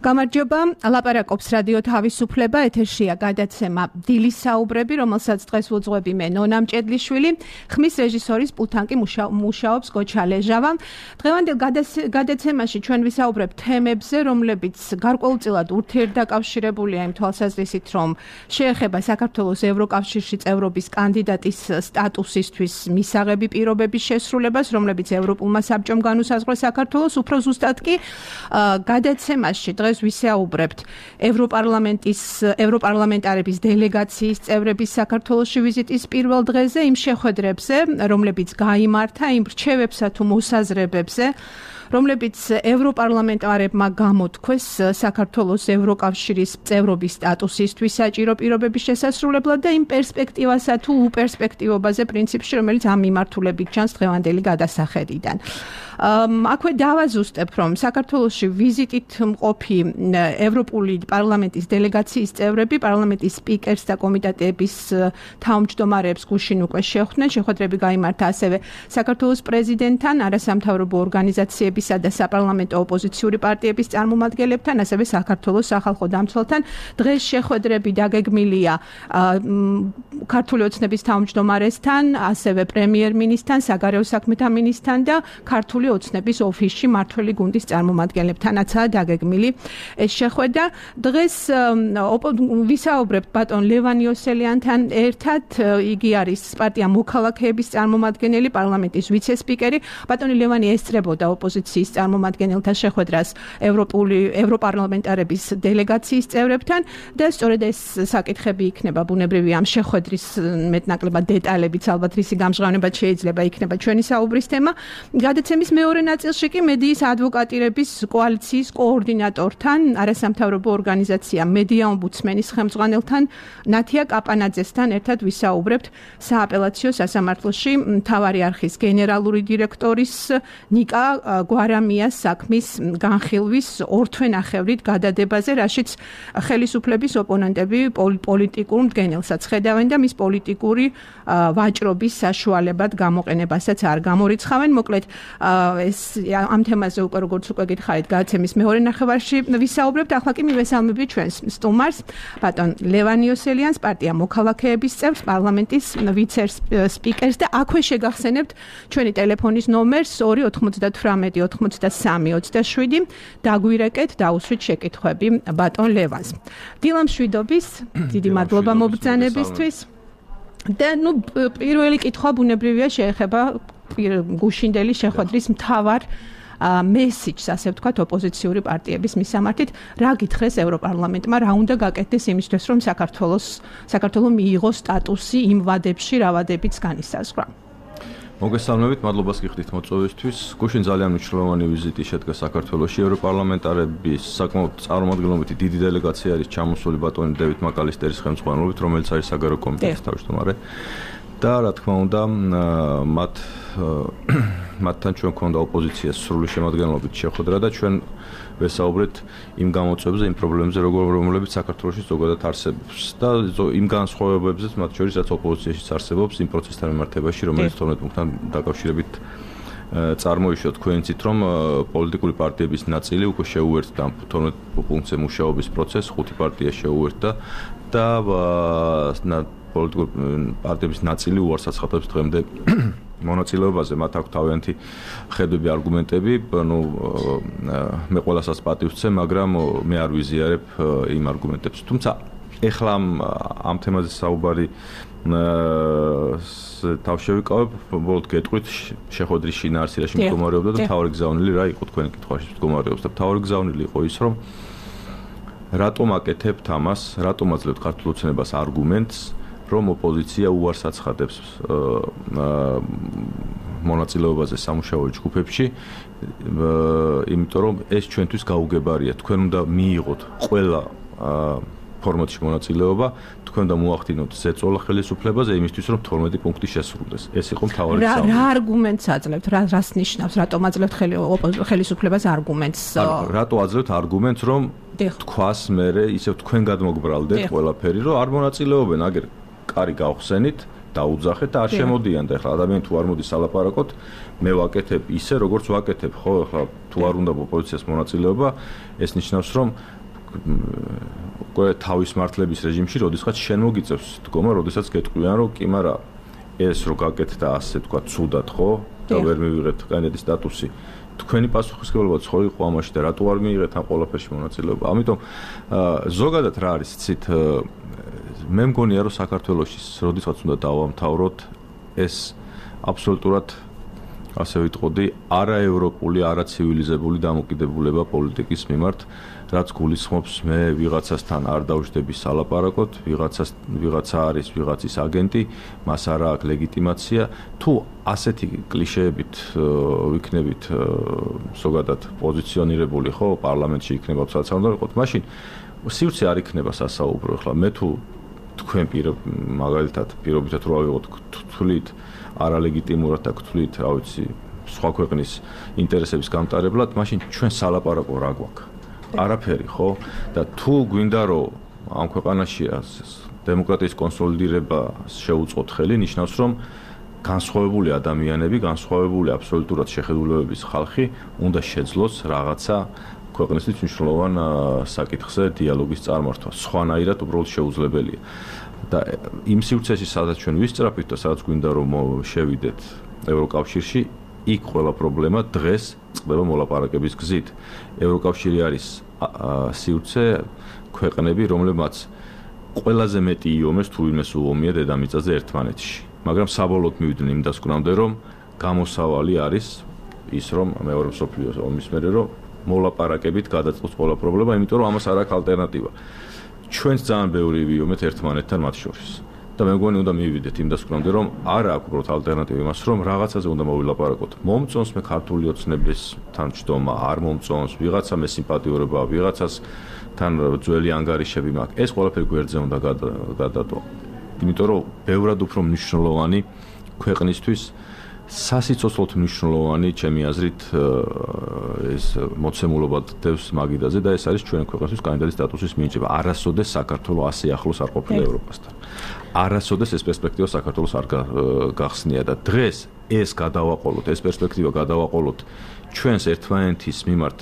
გამარჯობა, ლაპარაკობს რადიო თავისუფლება, ეთერშია გადაცემა დილის საუბრები, რომელსაც დღეს ვუძღვები მე ნონა მჭედლიშვილი, ხმის რეჟისორის პულტანკი მუშაობს გოჩა ლეჟავა. დღევანდელ გადაცემაში ჩვენ ვისაუბრებთ თემებზე, რომლებიც გარკვეულწილად ურთიერთდაკავშირებულია იმ თვალსაზრისით, რომ შეეხება საქართველოს ევროკავშირში წევრობის კანდიდატის სტატუსისთვის მისაღები პირობების შესრულებას, რომლებიც ევროპულმა საბჭომ განუსაზღვრა საქართველოს, უფრო ზუსტად კი გადაცემაში დღეს ვისაუბრებთ ევროპარლამენტარების დელეგაციის წევრების საქართველოში ვიზიტის პირველ დღეზე, იმ შეხვედრებზე, რომლებიც გაიმართა, იმ რჩევებსა თუ მოსაზრებებზე, რომლებიც ევროპარლამენტარებმა გამოთქვეს საქართველოს ევროკავშირის წევრობის სტატუსისთვის საჭირო პირობების შესასრულებლად და იმ პერსპექტივასა თუ უპერსპექტივობაზე პრინციპში, რომელიც ამ მიმართულებით ჩანს დღევანდელი გადასახედიდან. აქვე დავაზუსტებ, რომ საქართველოში ვიზიტით მყოფი ევროპული პარლამენტის დელეგაციის წევრები პარლამენტის სპიკერს და კომიტეტების თავმჯდომარეებს გუშინ უკვე შეხვდნენ. შეხვედრები გაიმართა ასევე საქართველოს პრეზიდენტთან, არასამთავრობო ორგანიზაციებისა და საპარლამენტო ოპოზიციური პარტიების წარმომადგენლებთან, ასევე საქართველოს სახალხო დამცველთან. დღეს შეხვედრები დაგეგმილია ქართული ოცნების თავმჯდომარესთან, ასევე პრემიერ-მინისტრთან, საგარეო საქმეთა მინისტრთან და ქართული ოცნების ოფისში მმართველი გუნდის წარმომადგენლებთანაცაა დაგეგმილი ეს შეხვედრა. დღეს ვისაუბრებთ ბატონ ლევან იოსელიანთან ერთად, იგი არის პარტია მოქალაქეების წარმომადგენელი, პარლამენტის ვიცე-სპიკერი. ბატონი ლევანი ესწრებოდა ოპოზიციის წარმომადგენელთა შეხვედრას ევროპარლამენტარების დელეგაციის წევრებთან და სწორედ ეს საკითხები იქნება ბუნებრივი ამ შეხვედრის მეტნაკლებად დეტალებიც ალბათ რისი გამჟღავნებაც შეიძლება იქნება ჩვენი საუბრის თემა. გადაცემის მეორე ნაწილში კი მედიის ადვოკატირების კოალიციის კოორდინატორთან, არასამთავრობო ორგანიზაცია მედია ომბუდსმენის ხელმძღვანელთან, ნათია კაპანაძესთან ერთად ვისაუბრებთ სააპელაციო სასამართლოში მთავარი არხის გენერალური დირექტორის ნიკა გვარამიას საქმის განხილვის ორთვენახევრით გადადებაზე, რაშიც ხელისუფლების ოპონენტები პოლიტიკურ მდგენელსაც ხედავენ და მის პოლიტიკური ვაჭრობის საშუალებად გამოყენებასაც არ გამორიცხავენ. მოკლედ ეს ამ თემაზე უკვე როგორც უკვე გითხარით გადაცემის მეორე ნახევარში ვისაუბრებთ. ახლა კი მივესალმები ჩვენს სტუმარს, ბატონ ლევან იოსელიანს, პარტია მოქალაქეების წევრს, პარლამენტის ვიცე-სპიკერს და აქვე შეგახსენებთ ჩვენი ტელეფონის ნომერს 298-93-27. დაგვირეკეთ, დაუსვით შეკითხვები ბატონ ლევანს. დილამშვიდობის, დიდი მადლობა მობრძანებისთვის. და პირველი კითხვა ბუნებრივია შეეხება გუშინდელი შეხვედრის მთავარ მესიჯს, ასე ვთქვათ, ოპოზიციური პარტიების მისამართით. რა გითხრეს ევროპარლამენტმა, რა უნდა გაკეთდეს იმისთვის, რომ საქართველო მიიღოს სტატუსი იმ ვადებში, რა ვადებიც განისაზღვრა. მოგესალმებით, მადლობას გიხდით მოწვევისთვის. გუშინ ძალიან მნიშვნელოვანი ვიზიტი შედგა საქართველოში. ევროპარლამენტარების საკმაოდ წარმომადგენლობითი დიდი დელეგაცია არის ჩამოსული ბატონი დევიდ მაკალისტერის ხელმძღვანელობით, რომელიც არის საგარეო კომიტეტის თავმჯდომარე. და რა თქმა უნდა, მათთან ჩვენ გვქონდა ოპოზიციას სრული შემადგენლობით შეხვედრა და ჩვენ ვესაუბრეთ იმ გამოწვევებზე, იმ პრობლემებზე, რომლებიც საქართველოში ზოგადად არსებობს და იმ განსხვავებებზეც, მათ შორის რაც ოპოზიციაშიც არსებობს იმ პროცესთან მიმართებაში, რომელიც თორმეტ პუნქტთან დაკავშირებით წარმოიშვა. თქვენ იცით, რომ პოლიტიკური პარტიების ნაწილი უკვე შეუერთდა 12 პუნქტზე მუშაობის პროცესს, 5 პარტია შეუერთდა და პოლიტიკური პარტიების ნაწილი უარს აცხადებს დღემდე მონაწილეობაზე. მათ აქვს თავიანთი ხედვები, არგუმენტები, მე ყველასაც პატივს ვცემ, მაგრამ მე არ ვიზიარებ იმ არგუმენტებს. თუმცა ეხლა ამ თემაზე საუბარი თავშევიკავებ, ბოლოდ გეტყვით შეხვედრის შინაარსი რაში მდგომარეობდა და მთავარი გზავნილი რა იყო თქვენი კითხვაში მდგომარეობს და მთავარი გზავნილი იყო ის, რომ რატომ აკეთებთ ამას, რატომ აძლევთ ქართულ ოცნებას არგუმენტს, რომ ოპოზიცია უარს აცხადებს მონაწილეობაზე სამუშაო ჯგუფებში, იმიტომ რომ ეს ჩვენთვის გაუგებარია. თქვენ უნდა მიიღოთ ყველა ფორმატში მონაწილეობა, თქვენ უნდა მოახდინოთ ზეწოლა ხელისუფლებაზე იმისთვის, რომ 12 პუნქტი შესრულდეს. ეს იყო მთავარი გზავნილი. რა არგუმენტს აძლევთ? რას ნიშნავს? რატომ აძლევთ ხელისუფლებას არგუმენტს? რატო აძლევთ არგუმენტს, რომ თქვას მერე ისევ თქვენ გადმოგბრალდეთ ყველაფერი, რომ არ მონაწილეობენ, აგერ კარი გავხსენით, დაუძახეთ და არ შემოდიან და ეხლა ადამიანი თუ არ მოდის ალაპარაკოთ, მე ვაკეთებ ისე, როგორც ვაკეთებ, ხო, ეხლა თუ არ უნდა ოპოზიციას მონაწილეობა, ეს ნიშნავს, რომ უკვე თავის მართლების რეჟიმში, როდესაც შენ მოგიწევს დგომა, როდესაც გეტყვიან, რომ კი, მაგრამ ეს რო გაკეთდა ასე თქვა, ცუდად, ხო? და ვერ მივიღეთ კანდიდატის სტატუსი. თქვენი პასუხისმგებლობა ხო იყო ამაში და რატო არ მიიღეთ ამ ყველაფერში მონაწილეობა? ამიტომ ზოგადად რა არის, იცით, მე მგონია, რომ საქართველოში, როდესაც უნდა დავამთავროთ, ეს აბსოლუტურად ასე ვიტყოდი, არაევროპული, არაცივილიზებული დამოკიდებულება პოლიტიკის მიმართ, რაც გულისხმობს მე ვიღაცასთან არ დავждები სალაპარაკოთ, ვიღაცა არის ვიღაცის აგენტი, მას არ აქვს ლეგიტიმაცია, თუ ასეთი კლიშეებით ვიქნებით ზოგადად პოზიციონირებული, ხო, პარლამენტში იქნება თვალსა უნდა ვიყოთ, მაშინ სივრცე არ იქნება სასაუბრო. ახლა მე თუ თქვენ მაგალითად პირობითად რო ავიღოთ თვლით არალეგიტიმურად და თვლით, რა ვიცი, სხვა ქვეყნის ინტერესების გამტარებლად, მაშინ ჩვენ სალაპარაკო რა გვაქვს? არაფერი, ხო? და თუ გვინდა რომ ამ ქვეყანაში დემოკრატიის კონსოლიდირება შეუწყოთ ხელი, ნიშნავს რომ განსხვავებული ადამიანები, განსხვავებული აბსოლუტურად შეხედულებების ხალხი უნდა შეძლოს რაღაცა ქვეყნისთვის მნიშვნელოვან საკითხზე დიალოგის წარმართვა. სხვანაირად უბრალოდ შეუძლებელია. და იმ სივრცეში, სადაც ჩვენ ვისწრაფით და სადაც გვინდა რომ შევიდეთ ევროკავშირში, იქ ყველა პრობლემა დღეს წყდება მოლაპარაკების გზით. ევროკავშირი არის სივრცე ქვეყნები, რომლებმაც ყველაზე მეტი იომეს თუ ვინმეს უომია დედამიწაზე ერთმანეთში. მაგრამ საბოლოოდ მივიდნენ იმ დასკვნამდე, რომ გამოსავალი არის ის, რომ მეორე მსოფლიო ომის მერე რომ მოლაპარაკებით გადაწყობს ყველა პრობლემა, იმიტომ რომ ამას არ აქვს ალტერნატივა. ჩვენს ძალიან ბევრი ვიომეთ ერთმანეთთან მათ შორის. და მე მგონი უნდა მივიდეთ იმ დასკვნამდე, რომ არ აქვს უბრალოდ ალტერნატივა იმას, რომ რაღაცაზე უნდა მოვილაპარაკოთ. მომწონს მე ქართული ოცნებისთან ჯდომა, არ მომწონს, ვიღაცა მე სიმპათიურობა, ვიღაცას თან ძველი ანგარიშები მაქვს. ეს ყველაფერი გვერდზე უნდა გადადო. იმიტომ რომ ბევრად უფრო მნიშვნელოვანი ქვეყნისთვის სასიცოცხლოდ მნიშვნელოვანი, ჩემი აზრით, ეს მოცემულობა დევს მაგიდაზე და ეს არის ჩვენ ქვეყნისთვის კანდიდატის სტატუსის მინიჭება. არასოდეს საქართველოს ასე ახლოს არ ყოფილა ევროპასთან. არასოდეს ეს პერსპექტივა საქართველოს არ გახსნია და დღეს ეს გადავაყოლოთ, ეს პერსპექტივა გადავაყოლოთ ჩვენს ერთმანეთის მიმართ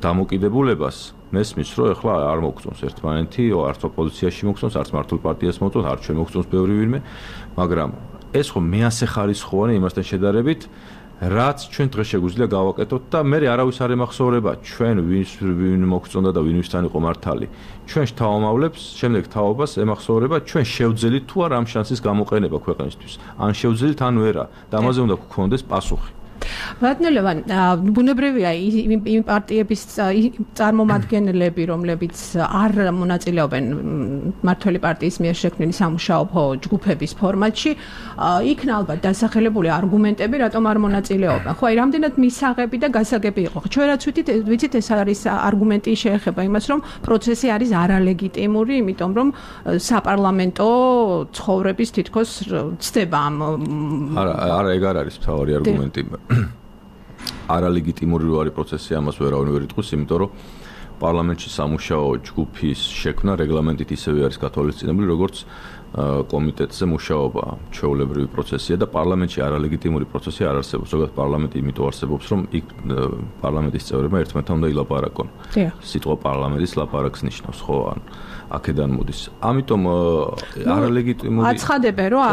დამოკიდებულებას, მესმის, რომ ეხლა არ მოგწონს ერთმანეთი, არც ოპოზიციაში მოგწონს, არც მართლ პარტიას მოგწონს, არც ჩვენ მოგწონს ბევრი ვინმე, მაგრამ ეს ხო მეასე ხარისხოვანი იმასთან შედარებით, რაც ჩვენ დღეს შეგვიძლია გავაკეთოთ და მე არავის არ ემახსოვრება ჩვენ ვინ მოგწონდა და ვინვისთან იყო მართალი. ჩვენ შთავამავლებს, შემდეგ თაობას ემახსოვრება ჩვენ შევძელით თუ არ ამ შანსის გამოყენება ქვეყნისთვის. ან შევძელით ან ვერა და ამაზე უნდა გქონდეს პასუხი. ბატონელევან, ბუნებრივია იმ პარტიების წარმომადგენლები, რომლებიც არ მონაწილეობენ მმართველი პარტიის მიერ შექმნილი სამუშაო ჯგუფების ფორმატში, იქნა ალბათ დასახელებული არგუმენტები, რატომ არ მონაწილეობენ. ხო, აი, რამდენად მისაღები და გასაგები იყო. ჩვენ რაც ვიცით, ეს არის არგუმენტი შეეხება იმას, რომ პროცესი არის არალეგიტიმური, იმიტომ რომ საპარლამენტო ცხოვრების თითქოს ცდება ამ არა, ეგ არ არის მთავარი არგუმენტი. არალეგიტიმური რო არის პროცესი, ამას ვერავინ ვერ იტყვის, იმიტომ რომ პარლამენტში სამუშაო ჯგუფის შექმნა რეგლამენტით ისევე არის გათვალისწინებული, როგორც კომიტეტზე მუშაობა ჩვეულებრივი პროცესია და პარლამენტში არალეგიტიმური პროცესი არ არსებობს. ზოგადად პარლამენტი იმიტომ არსებობს, რომ იქ პარლამენტის წევრებმა ერთმანეთთან უნდა ილაპარაკონ. სიტყვა პარლამენტის ლაპარაკს ნიშნავს, ხო, ან აქედან მოდის. ამიტომ არალეგიტიმური აცხადებენ, რომ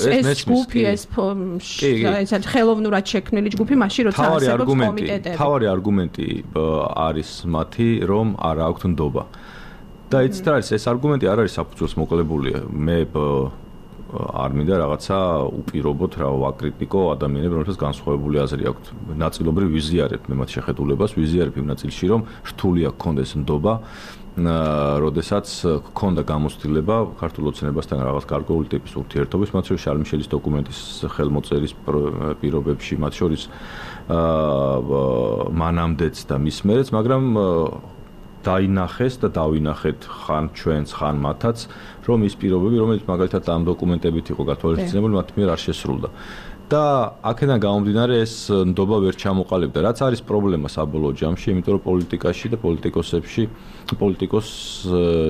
ეს ჯგუფი, ეს ხელოვნურად შექმნილი ჯგუფი, მაშინ როცა არსებობს კომიტეტები. თავარი არგუმენტი არის მათი, რომ არ აქვთ ნდობა. და იცით რა არის, ეს არგუმენტი არ არის საფუძველს მოკლებული. მე არ მინდა რაღაცა უპირობოთ, რა ვაკრიტიკო ადამიანებს, რომელთაც განსხვავებული აზრი აქვთ. ნაწილობრივ ვიზიარებ მე მათ შეხედულებას, ვიზიარებ იმ ნაწილში, რომ რთული აქვს კონდეს ნდობა, როდესაც გქონდა გამოცდილება ქართულ ოცნებასთან რაღაც გარკვეული ტიპის ურთიერთობის, მათ შორის შარლ მიშელის დოკუმენტის ხელმოწერის პირობებში, მათ შორის მანამდეც და მის მერეც, მაგრამ დაინახეს და დავინახეთ ხან ჩვენს, ხან მათაც, რომ ის პირობები, რომელიც მაგალითად ამ დოკუმენტებით იყო გათვალისწინებული, მათ მიერ არ შესრულდა. და აქედან გამომდინარე ეს ნდობა ვერ ჩამოყალიბდა. რაც არის პრობლემა საბოლოო ჯამში, იმიტომ რომ პოლიტიკაში და პოლიტიკოსებში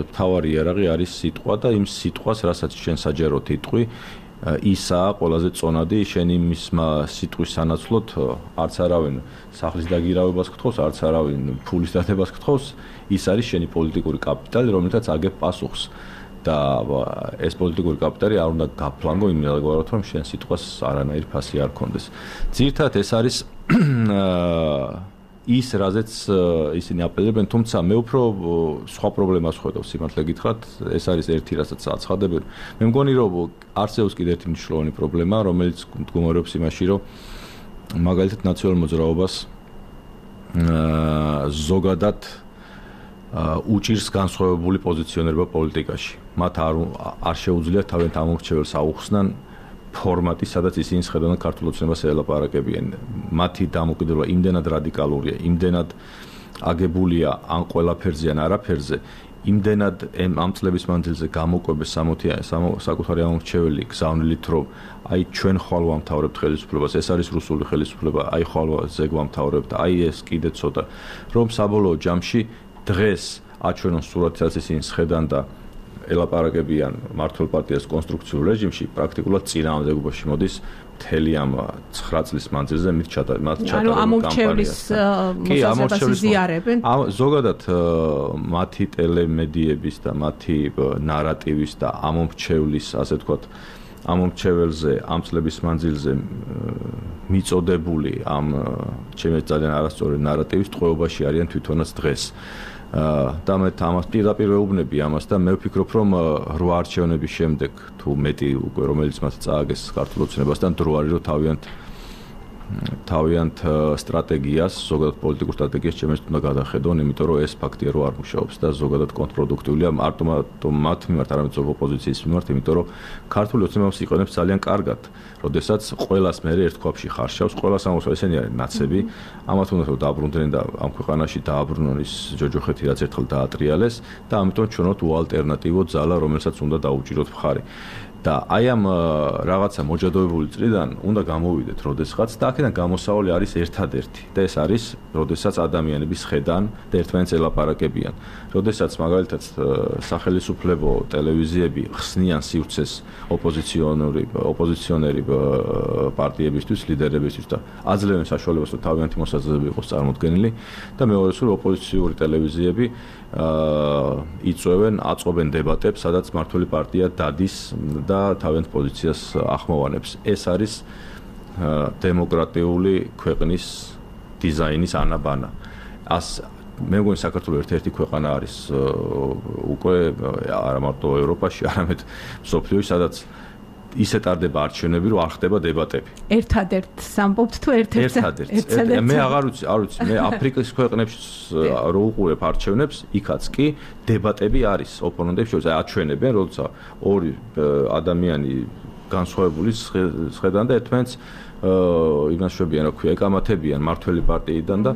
მთავარი იარაღი არის სიტყვა და იმ სიტყვას, რასაც ჩვენ საჯაროდ იტყვი, ისაა ყველაზე წონადი შენ იმის სიტყვის სანაცვლოდ არც არავინ სახლის დაგირავებას გთხოვს, არც არავინ ფულის დადებას გთხოვს, ის არის შენი პოლიტიკური კაპიტალი, რომელთაც აგებ პასუხს და ეს პოლიტიკური კაპიტალი არ უნდა გაფლანგო იმედგარად რომ შენ სიტყვას არანაირი ფასი არ კონდეს. ძირთადად ეს არის ის რაზეც ისინი აპელირებენ, თუმცა მე უფრო სხვა პრობლემას ხედავ სიმართლე გითხრათ, ეს არის ერთი რასაც აცხადებენ. მე მგონი რომ არსებობს კიდევ ერთი მნიშვნელოვანი პრობლემა, რომელიც მდგომარეობს იმაში, რომ მაგალითად ნაციონალურ მოძრაობას ზოგადად უჭირს განსხვავებული პოზიციონირება პოლიტიკაში. მათ არ შეუძლიათ თავიანთ ამორჩეველს აუხსნან ფორმატი, სადაც ისინი შეხედავენ ქართულ ოცნებას ელაპარაკებიან. მათი დამოკიდებულება იმდენად რადიკალურია, იმდენად აგებულია ან ყველაფერზე ან არაფერზე, იმდენად ამ წლების მანძილზე გამოკვებეს საკუთარი ამორჩეველი გზავნილით, რომ აი ჩვენ ხვალ ვამთავრებთ ხელისუფლებას, ეს არის რუსული ხელისუფლება, აი ხვალ ზეგ ვამთავრებთ, აი ეს კიდე ცოტა, რომ საბოლოო ჯამში დღეს აჩვენონ სურათსაც ისინი შეხედან და ელაპარაკებიან მართლ პარტიას კონსტრუქციულ რეჟიმში, პრაქტიკულად წინააღმდეგობაში მოდის მთელი ამ 9 წლის მანძილზე მათ ჩატარებულ კამპანიას. კი, ამორჩევლის ზიარებენ. ზოგადად მათი ტელემედიების და მათი ნარატივის და ამორჩევლის, ასე ვთქვათ, ამორჩეველზე ამ წლების მანძილზე მიწოდებული ამ ჩემი ძალიან არასწორი ნარატივის ტყვეობაში არიან თვითონაც დღეს. და მე ამას პირდაპირ ვეუბნები ამას და მე ვფიქრობ რომ 8 არჩევნების შემდეგ თუ მეტი უკვე რომელიც მათ წააგეს ქართულ ოცნებასთან დრო არის რომ თავიანთ სტრატეგიას, ზოგადად პოლიტიკურ სტრატეგიას ჩემს უნდა გადახედონ, იმიტომ რომ ეს ფაქტია რომ არ მუშაობს და ზოგადად კონტრპროდუქტიულია მარტო მათ მიმართ, არამედ ზოგ ოპოზიციის მიმართ, იმიტომ რომ ქართული ოცნება იყენებს ძალიან კარგად, როდესაც ყველას მე ერთ ქვაბში ხარშავს, ყველას ამოსვა ესენი არის ნაცები, ამათ უნდა რომ დააბრუნდნენ და ამ ქვეყანაში დააბრუნონ ის ჯოჯოხეთი რაც ერთხელ დაატრიალეს და ამიტომ ჩვენოთ უალტერნატივო ძალა, რომელსაც უნდა დაუჭიროთ მხარი. და აი ამ რაღაცა მოჯადოებული წრიდან უნდა გამოვიდეთ როდესაც და აქედან გამოსავალი არის ერთადერთი და ეს არის როდესაც ადამიანები შეხედან და ერთმანეთს ელაპარაკებიან როდესაც მაგალითად სახელისუფლებო ტელევიზიები ხსნიან სივრცეს ოპოზიციონერი პარტიებისთვის ლიდერებისთვის და აძლევენ საშუალებას რომ თავიანთი მოსაზრებები იყოს წარმოდგენილი და მეორე სულ ოპოზიციური ტელევიზიები აწვევენ დებატებს სადაც მართველი პარტია დადის და თავიანთ პოზიციას ახმოვანებს. ეს არის დემოკრატიული ქვეყნის დიზაინის ანაბანა. მე მგონი საქართველოს ერთ-ერთი ქვეყანა არის უკვე არა მარტო ევროპაში, არამედ მსოფლიოში, სადაც ისე ტარდება არჩევნები, რომ არ ხდება დებატები. ერთადერთ სამბობთ თუ ერთ-ერთ? მე არ ვიცი, მე აფრიკის ქვეყნებში რო უყურებ არჩევნებს, იქაც კი დებატები არის ოპონენტებს შორის, აჩვენებენ, როცა ორი ადამიანი განსხვავებული შეხედან და ერთმანეთს იმას შვებიან, რა ქვია, ეკამათებიან მართველი პარტიიდან და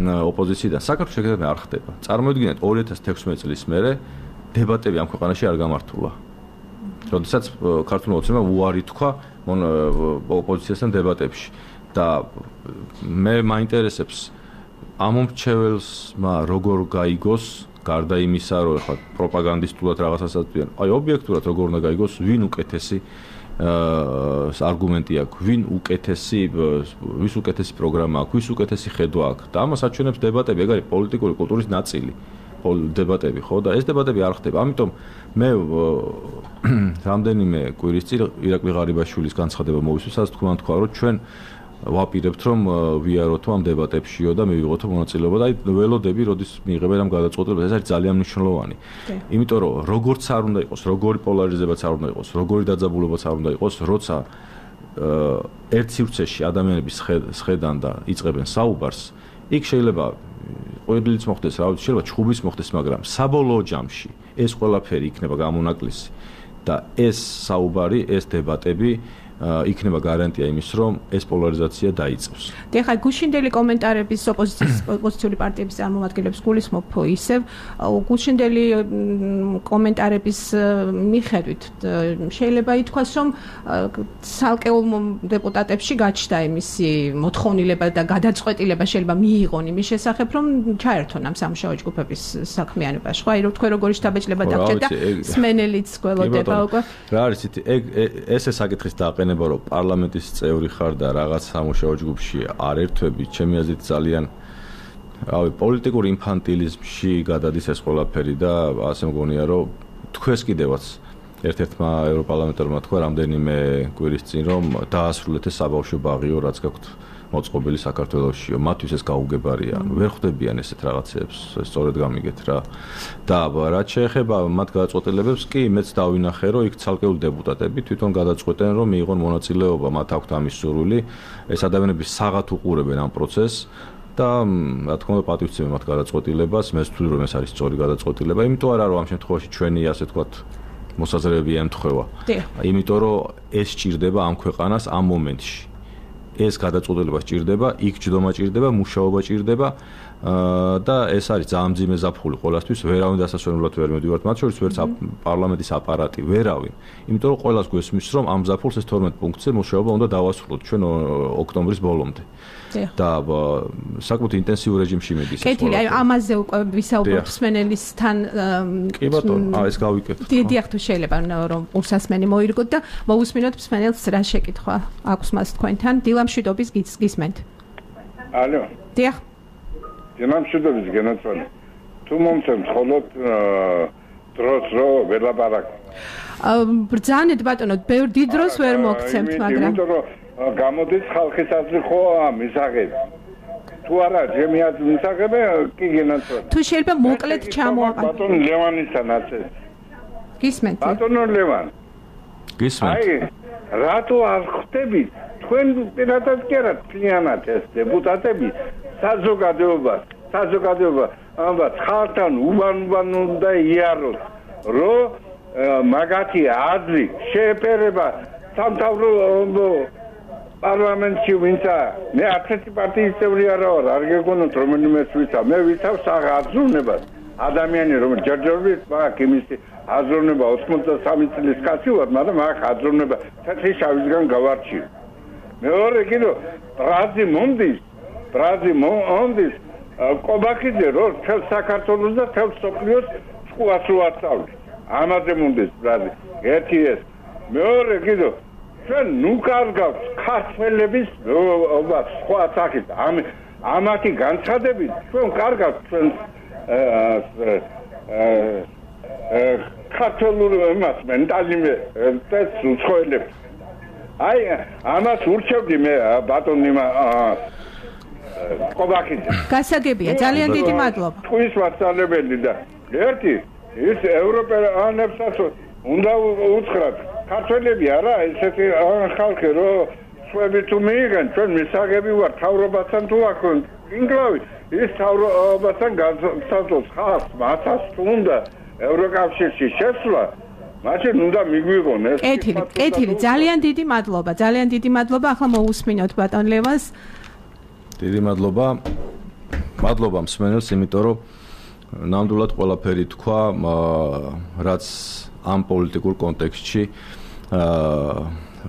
ოპოზიციიდან. საქართველოს შეგრძნება არ ხდება. წარმოიდგინეთ 2016 წლის მერე დებატები ამ ქვეყანაში არ გამართულა. როდესაც ქართული ოცნება უარი თქვა ოპოზიციასთან დებატებში და მე მაინტერესებს ამომრჩეველსმა როგორ გაიგოს გარდა იმისა რომ ხა პროპაგანდისტულად რაღაცას აწვიან აი ობიექტურად როგორ უნდა გაიგოს ვინ უკეთესი არგუმენტი აქვს ვის უკეთესი პროგრამა აქვს ვის უკეთესი ხედვა აქვს და ამას აჩვენებს დებატები ეგ არის პოლიტიკური კულტურის ნაწილი დებატები ხო და ეს დებატები არ ხდება ამიტომ მე რამდენიმე კვირის წინ ირაკლი ღარიბაშვილის განცხადება მოვისმინე სადაც თქვა რომ ჩვენ ვაპირებთ რომ ვიაროთ ამ დებატებშიო და მივიღოთ მონაწილეობა და აი ველოდები როდის მიიღებენ ამ გადაწყვეტილებას ეს არის ძალიან მნიშვნელოვანი იმიტომ რომ როგორც არ უნდა იყოს როგორი პოლარიზებაც არ უნდა იყოს როგორი დაძაბულობაც არ უნდა იყოს როცა ერთ სივრცეში ადამიანები შეხედან და იწყებენ საუბარს იქ შეიძლება ყველგან მოხდეს რა ვიცი შეიძლება ჩხუბის მოხდეს მაგრამ საბოლოო ჯამში ეს ყველაფერი იქნება გამონაკლისი და ეს საუბარი ეს დებატები იქნება გარანტია იმის, რომ ეს პოლარიზაცია დაიწყოს. ეხლა გუშინდელი კომენტარების ოპოზიციური პარტიების წარმომადგენლებს გულისხმობ ისევ გუშინდელი კომენტარების მიხედვით შეიძლება ითქვას, რომ ცალკეულ დეპუტატებში გაჩნდა იმისი მოთხოვნილება და გადაწყვეტილება შეიძლება მიიღონ იმის შესახებ, რომ ჩაერთონ ამ სამუშაო ჯგუფების საქმიანობაში. ხო, აი რომ თქვენ როგორი შთაბეჭდილება დაგჭირდა და სმენელიც გველოდება უკვე. რა არის ესე საკითხის დააყენება, რომ პარლამენტის წევრი ხარ და რაღაც სამუშაო ჯგუფში არ ერთვები, ჩემი აზრით ძალიან პოლიტიკურ ინფანტილიზმში გადადის ეს ყველაფერი და ასე მგონია, რომ თქვენს კიდევაც ერთ-ერთმა ევროპარლამენტარმა თქვა რამდენიმე კვირის წინ, რომ დაასრულეთ ეს საბავშვო ბაღიო, რაც გაქვთ მოწყობილი საქართველოსშიო, მათთვის ეს გაუგებარია. ვერ ხვდებიან ესეთ რაღაცებს, სწორედ გამიგეთ რა. და რაც შეეხება მათ გადაწყვეტილებებს, კი მეც დავინახე, რომ იქ ცალკეული დეპუტატები თვითონ გადაწყვეტენ, რომ მიიღონ მონაწილეობა, მათ აქვთ ამის სურვილი. ეს ადამიანები საღათ უყურებენ ამ პროცესს და რა თქმა უნდა პატივცემენ მათ გადაწყვეტილებას, მე ვთვლი, რომ ეს არის სწორი გადაწყვეტილება, იმიტომ არა რომ ამ შემთხვევაში ჩვენი ასე ვთქვათ მოსაზრებები ემთხვევა. იმიტომ რომ ეს სჭირდება ამ ქვეყანას ამ მომენტში. ეს გადაწყვეტილება სჭირდება, იქ ჯდომა სჭირდება, მუშაობა სჭირდება და ეს არის ძალიან მძიმე ზაფხული ყველასთვის, ვერავინ დასასვენებლად ვერ მივდივართ, მათ შორის ვერც პარლამენტის აპარატი, ვერავინ. იმიტომ რომ ყველას გვესმის, რომ ამ ზაფხულს ეს 12 პუნქტზე მუშაობა უნდა დავასრულოთ ჩვენ ოქტომბრის ბოლომდე. და საკუთარ ინტენსიურ რეჟიმში მიდის. კეთილი, აი ამაზე უკვე ვისაუბრებთ სმენელისთან. კი ბატონო, ეს გავიკეთოთ. დიახ, თუ შეიძლება რომ ურსასმენი მოირგოთ და მოусმინოთ სმენელს რა შეკითხვა აქვს მას თქვენთან. დილამშვიდობის გისმენთ. ალო. დიახ. დილამშვიდობის გენაცვალე. თუ მომცემთ ხოლოდ დროს რო ველაპარაკ. ბრძანეთ ბატონო, ბევრ დიდ დროს ვერ მოგცემთ, მაგრამ გამოდის ხალხის აზრი ხო მისაღები. თუ არა, ჩემი აზრი მისაღები, კი გენაცვალე. თუ შეიძლება მოკლედ ჩამოაყენო. ბატონ ლევანისთანაც ეს. გისმენთ. ბატონო ლევან. გისმენთ. აი, რატო არ ხვდებით თქვენ პირადად კი არა თლიანად ეს დეპუტატები საზოგადოება ამბობთ ხალხთან უბან უნდა იაროთ, რომ მაგათი აზრი შეეფერება სამთავრობო პარლამენტში ვინცა მე არცერთი პარტიის წევრი არა ვარ, არ გეგონოთ რომელიმე ვიცა, მე ვიცავ საღაზრუნებას. ადამიანი რომ ჯერჯერობით მაგ იმის აზროვნება 83 წლის კაცი ვარ, მაგრამ მაგ აზროვნება თეთრი შავისგან გავარჩიე. მეორე კიდო ბრაზი მომდის კობაქიძე რომ თელ საქართველოს და თელ სოფლიოს სკოლას უაცავდა. ამაზე მომდის ბრაზი. ერთი ეს. მეორე კიდო ჩვენ ნუ კარგავთ ქართველების სხვა სახით. ამათი განცხადებით ჩვენ კარგავთ ჩვენ ქართულ მას მენტალიმე და უცხოელებს. აი ამას ურჩევდი მე ბატონი კობაქიძე. გასაგებია, ძალიან დიდი მადლობა. ტყვის მასწავლებელი და ერთი ის ევროპელანებსაც უნდა უთხრათ ქართველები არა ესეთი ხალხი რომ სხვები თუ მიიღენ ჩვენ მისაღები ვარ თავრობასთან თუ აქ ინგლავი ის თავრობასთან განსაზღვროს ხალხს მათაც თუ უნდა ევროკავშირში შესვლა მაშინ უნდა მიგვიღონ ეს. კეთილი, ძალიან დიდი მადლობა. ახლა მოусმინოთ ბატონ ლევანს. დიდი მადლობა. მადლობა მსმენელს, იმიტომ რომ ნამდვილად ყველაფერი თქვა, რაც ამ პოლიტიკურ კონტექსტში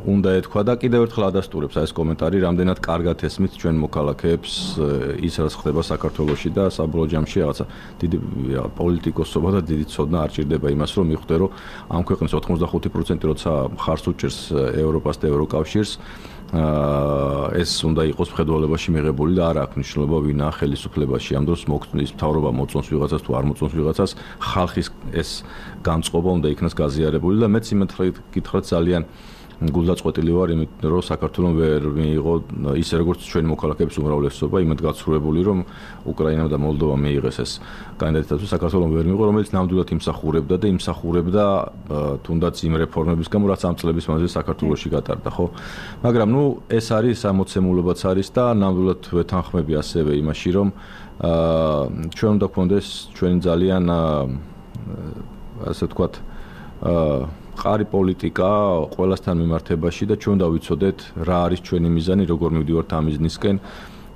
უნდა ეთქვა და კიდევ ერთხელ ადასტურებს ეს კომენტარი, რამდენად კარგად ესმით ჩვენ მოქალაქეებს ის რაც ხდება საქართველოში და საბოლოო ჯამში რაღაცა დიდი პოლიტიკოსობა და დიდი ცოდნა არ ჭირდება იმას, რომ მიხვდე, რომ ამ ქვეყნის 85% როცა ხარს უჭერს ევროპას და ევროკავშირს, ეს უნდა იყოს მხედველობაში მიღებული და არ აქვს მნიშვნელობა ვინა ხელისუფლებაში. ამ დროს მოგწონს მთავრობა მოწონს ვიღაცას თუ არ მოწონს ვიღაცას, ხალხის ეს განწყობა უნდა იქნას გაზიარებული და მეც იმით გითხრათ ძალიან გულდაწყვეტილი ვარ იმით, რომ საქართველოს ვერ მიიღო ისე როგორც ჩვენი მოქალაქეების უმრავლესობა, იმით გაცხრუებული, რომ უკრაინამ და მოლდოვამ მიიღეს ეს კანდიდატები, საქართველოს ვერ მიიღო, რომელიც ნამდვილად იმსახურებდა და იმსახურებდა თუნდაც იმ რეფორმების გამო, რაც ამ წლების მანძილზე საქართველოში გატარდა, ხო? მაგრამ ნუ ეს არის ამოცემულობაც არის და ნამდვილად ვეთანხმები ასევე იმაში, რომ ჩვენ უნდა გქონდეს ჩვენი ძალიან ასე ვთქვათ მყარი პოლიტიკა ყველასთან მიმართებაში და ჩვენ დავიცოდეთ რა არის ჩვენი მიზანი, როგორ მივდივართ ამ მიზნისკენ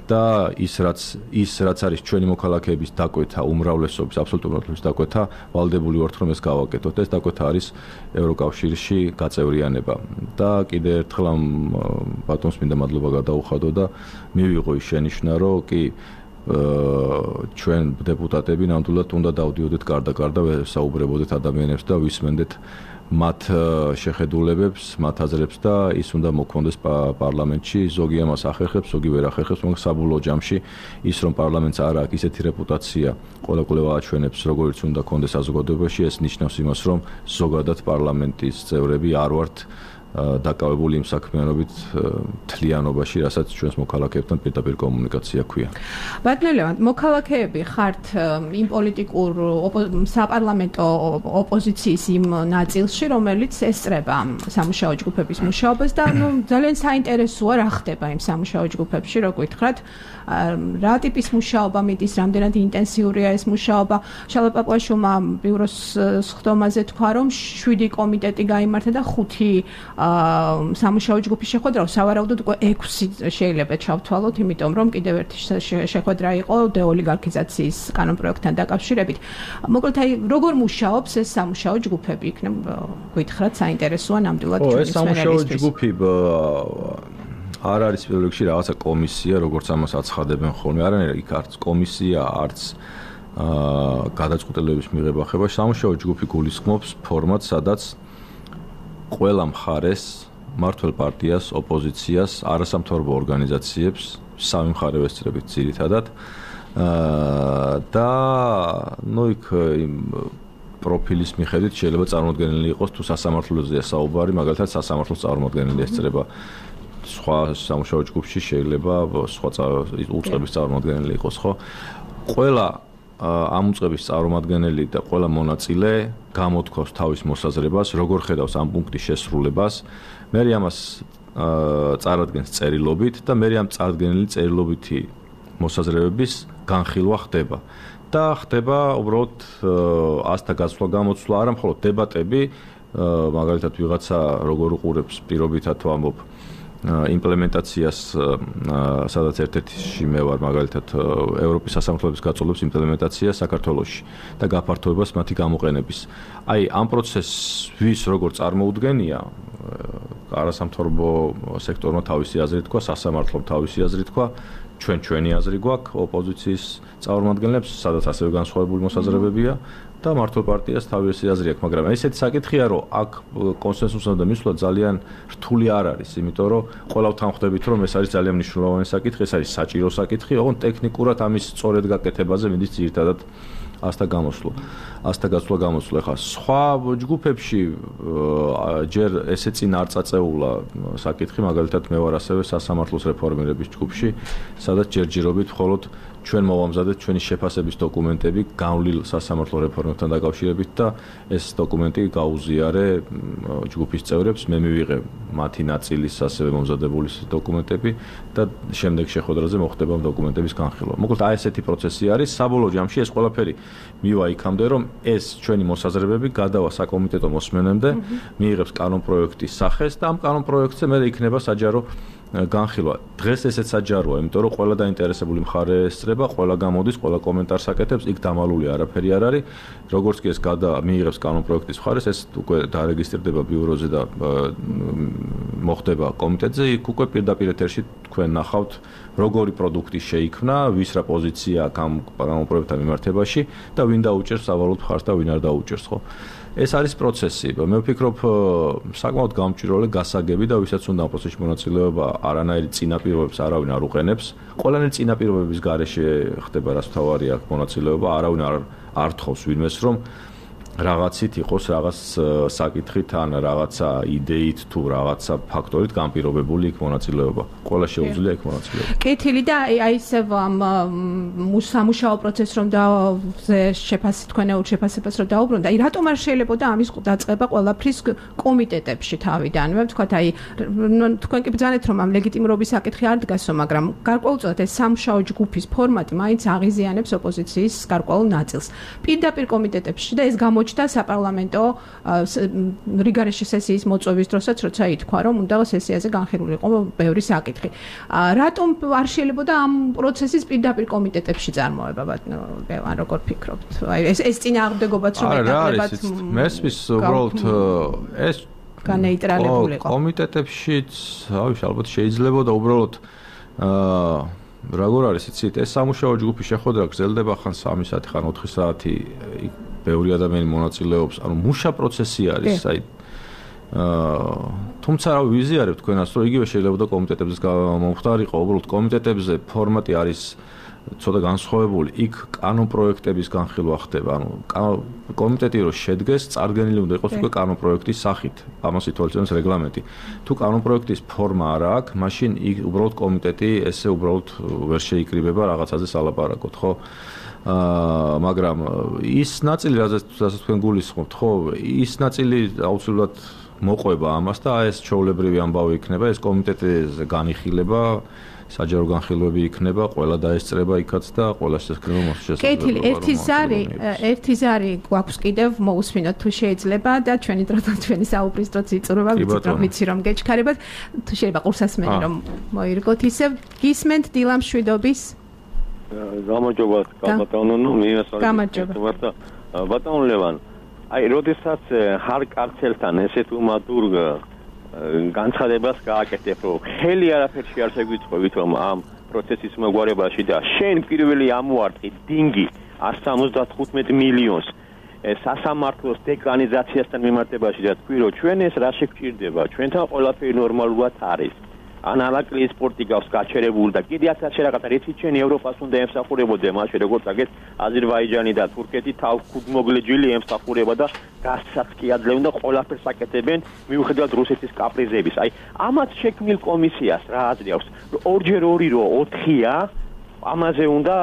და ის რაც არის ჩვენი მოქალაქეების დაკვეთა, უმრავლესობის, აბსოლუტური უმრავლესობის დაკვეთა, ვალდებული ვართ რომ ეს გავაკეთოთ. ეს დაკვეთა არის ევროკავშირში გაწევრიანება. და კიდევ ერთხელ ამ ბატონს მინდა მადლობა გადაუხადო და მივიღო ის შენიშვნა, რომ კი ჩვენ დეპუტატები ნამდვილად უნდა დავდიოდეთ გარდა-გარდა, საუბრებოდეთ ადამიანებს და ვისმენდეთ მათ შეხედულებებს, მათ აზრებს და ის უნდა მოქონდეს პარლამენტში. ზოგი ამას ახერხებს, ზოგი ვერ ახერხებს, მაგრამ საბოლოო ჯამში ის რომ პარლამენტს არ აქვს ისეთი რეპუტაცია, ყველა აჩვენებს, როგორც უნდა კონდეს საზოგადოებაში, ეს ნიშნავს იმას, რომ ზოგადად პარლამენტის წევრები არ ვართ დაკავებული იმ საქმიანობით თლიანობაში, რასაც ჩვენს მოქალაქეებთან პირდაპირ კომუნიკაცია ქვია. ბატონო, მოქალაქეები ხართ იმ პოლიტიკურ საპარლამენტო ოპოზიციის იმ ნაწილში, რომელიც ესწრება სამუშაო ჯგუფების მუშაობას და ძალიან საინტერესოა რა ხდება იმ სამუშაო ჯგუფებში, რო გითხრათ, რა ტიპის მუშაობა მიდის, რამდენად ინტენსიურია ეს მუშაობა. შალვა პაპუაშვილმა ბიუროს სხდომაზე თქვა, რომ 7 კომიტეტი გაიმართა და 5 სამუშაო ჯგუფის შეხვედრა, სავარაუდოდ უკვე 6 შეიძლება ჩავთვალოთ, იმიტომ რომ კიდევ ერთი შეხვედრა იყო დეოლიგარქიზაციის კანონპროექტთან დაკავშირებით. მოკლედ, როგორ მუშაობს ეს სამუშაო ჯგუფები? იქნებ გითხრათ, საინტერესოა ნამდვილად ჩვენი ეს სამუშაო ჯგუფი არ არის პირველ რიგში რაღაცა კომისია, როგორც ამას აცხადებენ ხოლმე. არანაირი იქ არც კომისია, არც გადაწყვეტილებების მიღება ხება. სამუშაო ჯგუფი გულისხმობს ფორმატს, სადაც ყველა მხარეს, მმართველ პარტიას, ოპოზიციას, არასამთავრობო ორგანიზაციებს, სამი მხარე ვესწრებით ძირითადად და იქ პროფილის მიხედვით შეიძლება წარმოუდგენელი იყოს თუ სასამართლოზეა საუბარი, მაგალითად სასამართლოს წარმოუდგენელი ესწრება სხვა სამუშაო ჯგუფში შეიძლება სხვა უწყების წარმოუდგენელი იყოს, ხო? ყველა ამ უწყების წარმომადგენელი და ყველა მონაწილე გამოთქვავს თავის მოსაზრებას, როგორ ხედავს ამ პუნქტის შესრულებას. მე ამას წარადგენს წერილობით და მე ამ წარდგენილი წერილობითი მოსაზრებების განხილვა ხდება. და ხდება უბრალოდ ასთა გასვლა გამოცვლა, არა მხოლოდ დებატები, მაგალითად ვიღაცა როგორ უყურებს პირობითად ვამბობ იმპლემენტაციას, სადაც ერთ-ერთში მე ვარ, მაგალითად ევროპის სასამართლოების გაწოლების იმპლემენტაცია საქართველოში და გაფართოებას მათი გამოყენების. აი, ამ პროცესს ვის როგორ წარმოუდგენია, არასამთავრობო სექტორმა თავისი აზრი თქვა, სასამართლომ თავისი აზრი თქვა, ჩვენი აზრი გვაქვს, ოპოზიციის წარმომადგენლებს, სადაც ასევე განსხვავებული მოსაზრებებია და მართლ პარტიას თავისი აზრი აქვს, მაგრამ ესეთი საკითხია, რომ აქ კონსენსუსამდე მისვლა ძალიან რთული არ არის, იმიტომ რომ ყველა ვთანხმდებით, რომ ეს არის ძალიან მნიშვნელოვანი საკითხი, ეს არის საჭირო საკითხი, ოღონდ ტექნიკურად ამის სწორედ გაკეთებაზე მიდის ძირითადად ასთა გასვლა გამოსვლა. ხა სხვა ჯგუფებში ჯერ ესე წინ არ წაწეულა საკითხი, მაგალითად მე ვარ ასევე სასამართლოს რეფორმირების ჯგუფში, სადაც ჯერჯერობით მხოლოდ ჩვენ მოვამზადეთ ჩვენი შეფასების დოკუმენტები გავლილ სასამართლო რეფორმებთან დაკავშირებით და ეს დოკუმენტი გაუზიარე ჯგუფის წევრებს, მე მივიღე მათი ნაწილის ასევე მომზადებული დოკუმენტები და შემდეგ შეხვედრაზე მოხდება ამ დოკუმენტების განხილვა. მოკლედ აი ესეთი პროცესი არის, საბოლოო ჯამში ეს ყველაფერი მივა იქამდე, რომ ეს ჩვენი მოსაზრებები გადავა საკომიტეტო მოსმენამდე, მიიღებს კანონპროექტის სახეს და ამ კანონპროექტზე მე იქნება საჯარო განხილვა. დღეს ესეც საჯაროა, იმიტომ რომ ყველა დაინტერესებული მხარე ესწრება, ყველა გამოდის, ყველა კომენტარს აკეთებს, იქ დამალული არაფერი არ არის. როგორც კი ეს მიიღებს კანონპროექტის მხარეს, ეს უკვე დარეგისტრირდება ბიუროზე და მოხდება კომიტეტზე, იქ უკვე პირდაპირ ეთერში თქვენ ნახავთ, როგორი პროდუქტი შეიქმნა, ვის რა პოზიცია აქვს ამ კანონპროექტთან მიმართებაში და ვინ დაუჭერს სავალუტ მხარს და ვინ არ დაუჭერს, ხო? ეს არის პროცესი. მე ვფიქრობ, საკმაოდ გამჭვირვალე გასაგები და ვისაც უნდა ამ პროცესში მონაწილეობა, არანაირი წინაპირობებს არავინ არ უყენებს. ყველანაირი წინაპირობების გარეშე ხდება, რაც თავარია მონაწილეობა, არავინ არ თხოვს ვინმეს, რომ რაღაცით იყოს რაღაც საკითხით ან რაღაცა იდეით თუ რაღაცა ფაქტორით განპირობებული იქ მონაწილეობა. ყველა შეუძლია იქ მონაწილეობა. კეთილი და აი ესე სამუშაო პროცესს რომ შეფასებას რომ დაუბრუნდა, აი რატომ არ შეიძლებოდა ამის დაწყება ყველაფრის კომიტეტებში თავიდანვე? ვთქვათ, აი თქვენ კი ბრძანეთ რომ ამ ლეგიტიმურობის საკითხი არ დგასო, მაგრამ გარკვეულწილად ეს სამუშაო ჯგუფის ფორმატი მაინც აღიზიანებს ოპოზიციის გარკვეულ ნაწილს. პირდაპირ კომიტეტებში და ეს აღმოჩნდა საპარლამენტო რიგარეშე სესიის მოწვევის დროსაც, როცა ითქვა, რომ უნდა სესიაზე განხილულიყო ბევრი საკითხი. რატომ არ შეიძლება ამ პროცესის პირდაპირ კომიტეტებში წარმოება, ან როგორ ფიქრობთ? აი ეს წინააღმდეგობაც რომ ეტაკლებათ მესმის უბრალოდ ეს განეიტრალებულიყო. კომიტეტებშიც, ალბათ შეიძლება და უბრალოდ როგორ არის იცით, ეს სამუშაო ჯგუფი შეხვედრა გრძელდება ხან 3 საათი, ხან 4 საათი, ბევრი ადამიანი მონაწილეობს, ანუ მუშა პროცესი არის, აი თუმცა რა ვიზიარებ თქვენას, რომ იგივე შეიძლება და კომიტეტებზე მომხდარიყო, უბრალოდ კომიტეტებზე ფორმატი არის ცოტა განსხვავებული, იქ კანონპროექტების განხილვა ხდება, ანუ კომიტეტი რო შედგეს, წარდგენილი უნდა იყოს უკვე კანონპროექტის სახით, ამას ითვალისწინებს რეგლამენტი. თუ კანონპროექტის ფორმა არ აქვს, მაშინ იქ უბრალოდ კომიტეტი ესე უბრალოდ ვერ შეიკრიბება რაღაცაზე სალაპარაკოთ, ხო? მაგრამ ის ნაწილი, რასაც თქვენ გულისხმობთ, ხო, ის ნაწილი აუცილებლად მოყვება ამას და ეს ჩვეულებრივი ამბავი იქნება, ეს კომიტეტის განიხილება საჯარო განხილვები იქნება, ყველა დაესწრება იქაც და ყველა შესაძლოა მოსწრება. კეთილი, ერთი ზარი გვაქვს კიდევ მოусმინოთ თუ შეიძლება და ჩვენი დრო და ჩვენი საუბრის დროც იწურება, ვიცი რომ გეჩქარებათ, თუ შეიძლება ყურსასმენი რომ მოირგოთ ისევ. გისმენთ დილა მშვიდობის. გამარჯობათ, ბატონო, მიესალმებით. ბატონო ლევან, აი, როდესაც ხარ კაცელთან ესეთ უმადურ განცხადებას გააკეთებ, რომ ხელი არაფერში არ შეგვიწყობთ, რომ ამ პროცესის მოგვარებაში და შენ პირველი ამოარტყი დინგი 175 მილიონს სასამართლოს დეკრანიზაციასთან მიმართებაში და თქვი, რომ ჩვენ ეს რა შეგვჭირდება, ჩვენთან ყველაფერი ნორმალურად არის. ანალაკლის სპორტი გავს გაჩერებული და კიდე ასეთ რაღაცა რეცი ჩვენი ევროპას უნდა ემსახურებოდა მაშინ როგორც აგეთ აზერბაიჯანი და თურქეთი თავგმოგლეჯილი ემსახურება და გასცაც კი ადლევენ და ყველაფერს აკეთებენ მიუხედავად რუსეთის კაპრიზების. აი ამათ შექმნილ კომისიას რა აზრი აქვს? ორჯერ 2 რო 4-ია, ამაზე უნდა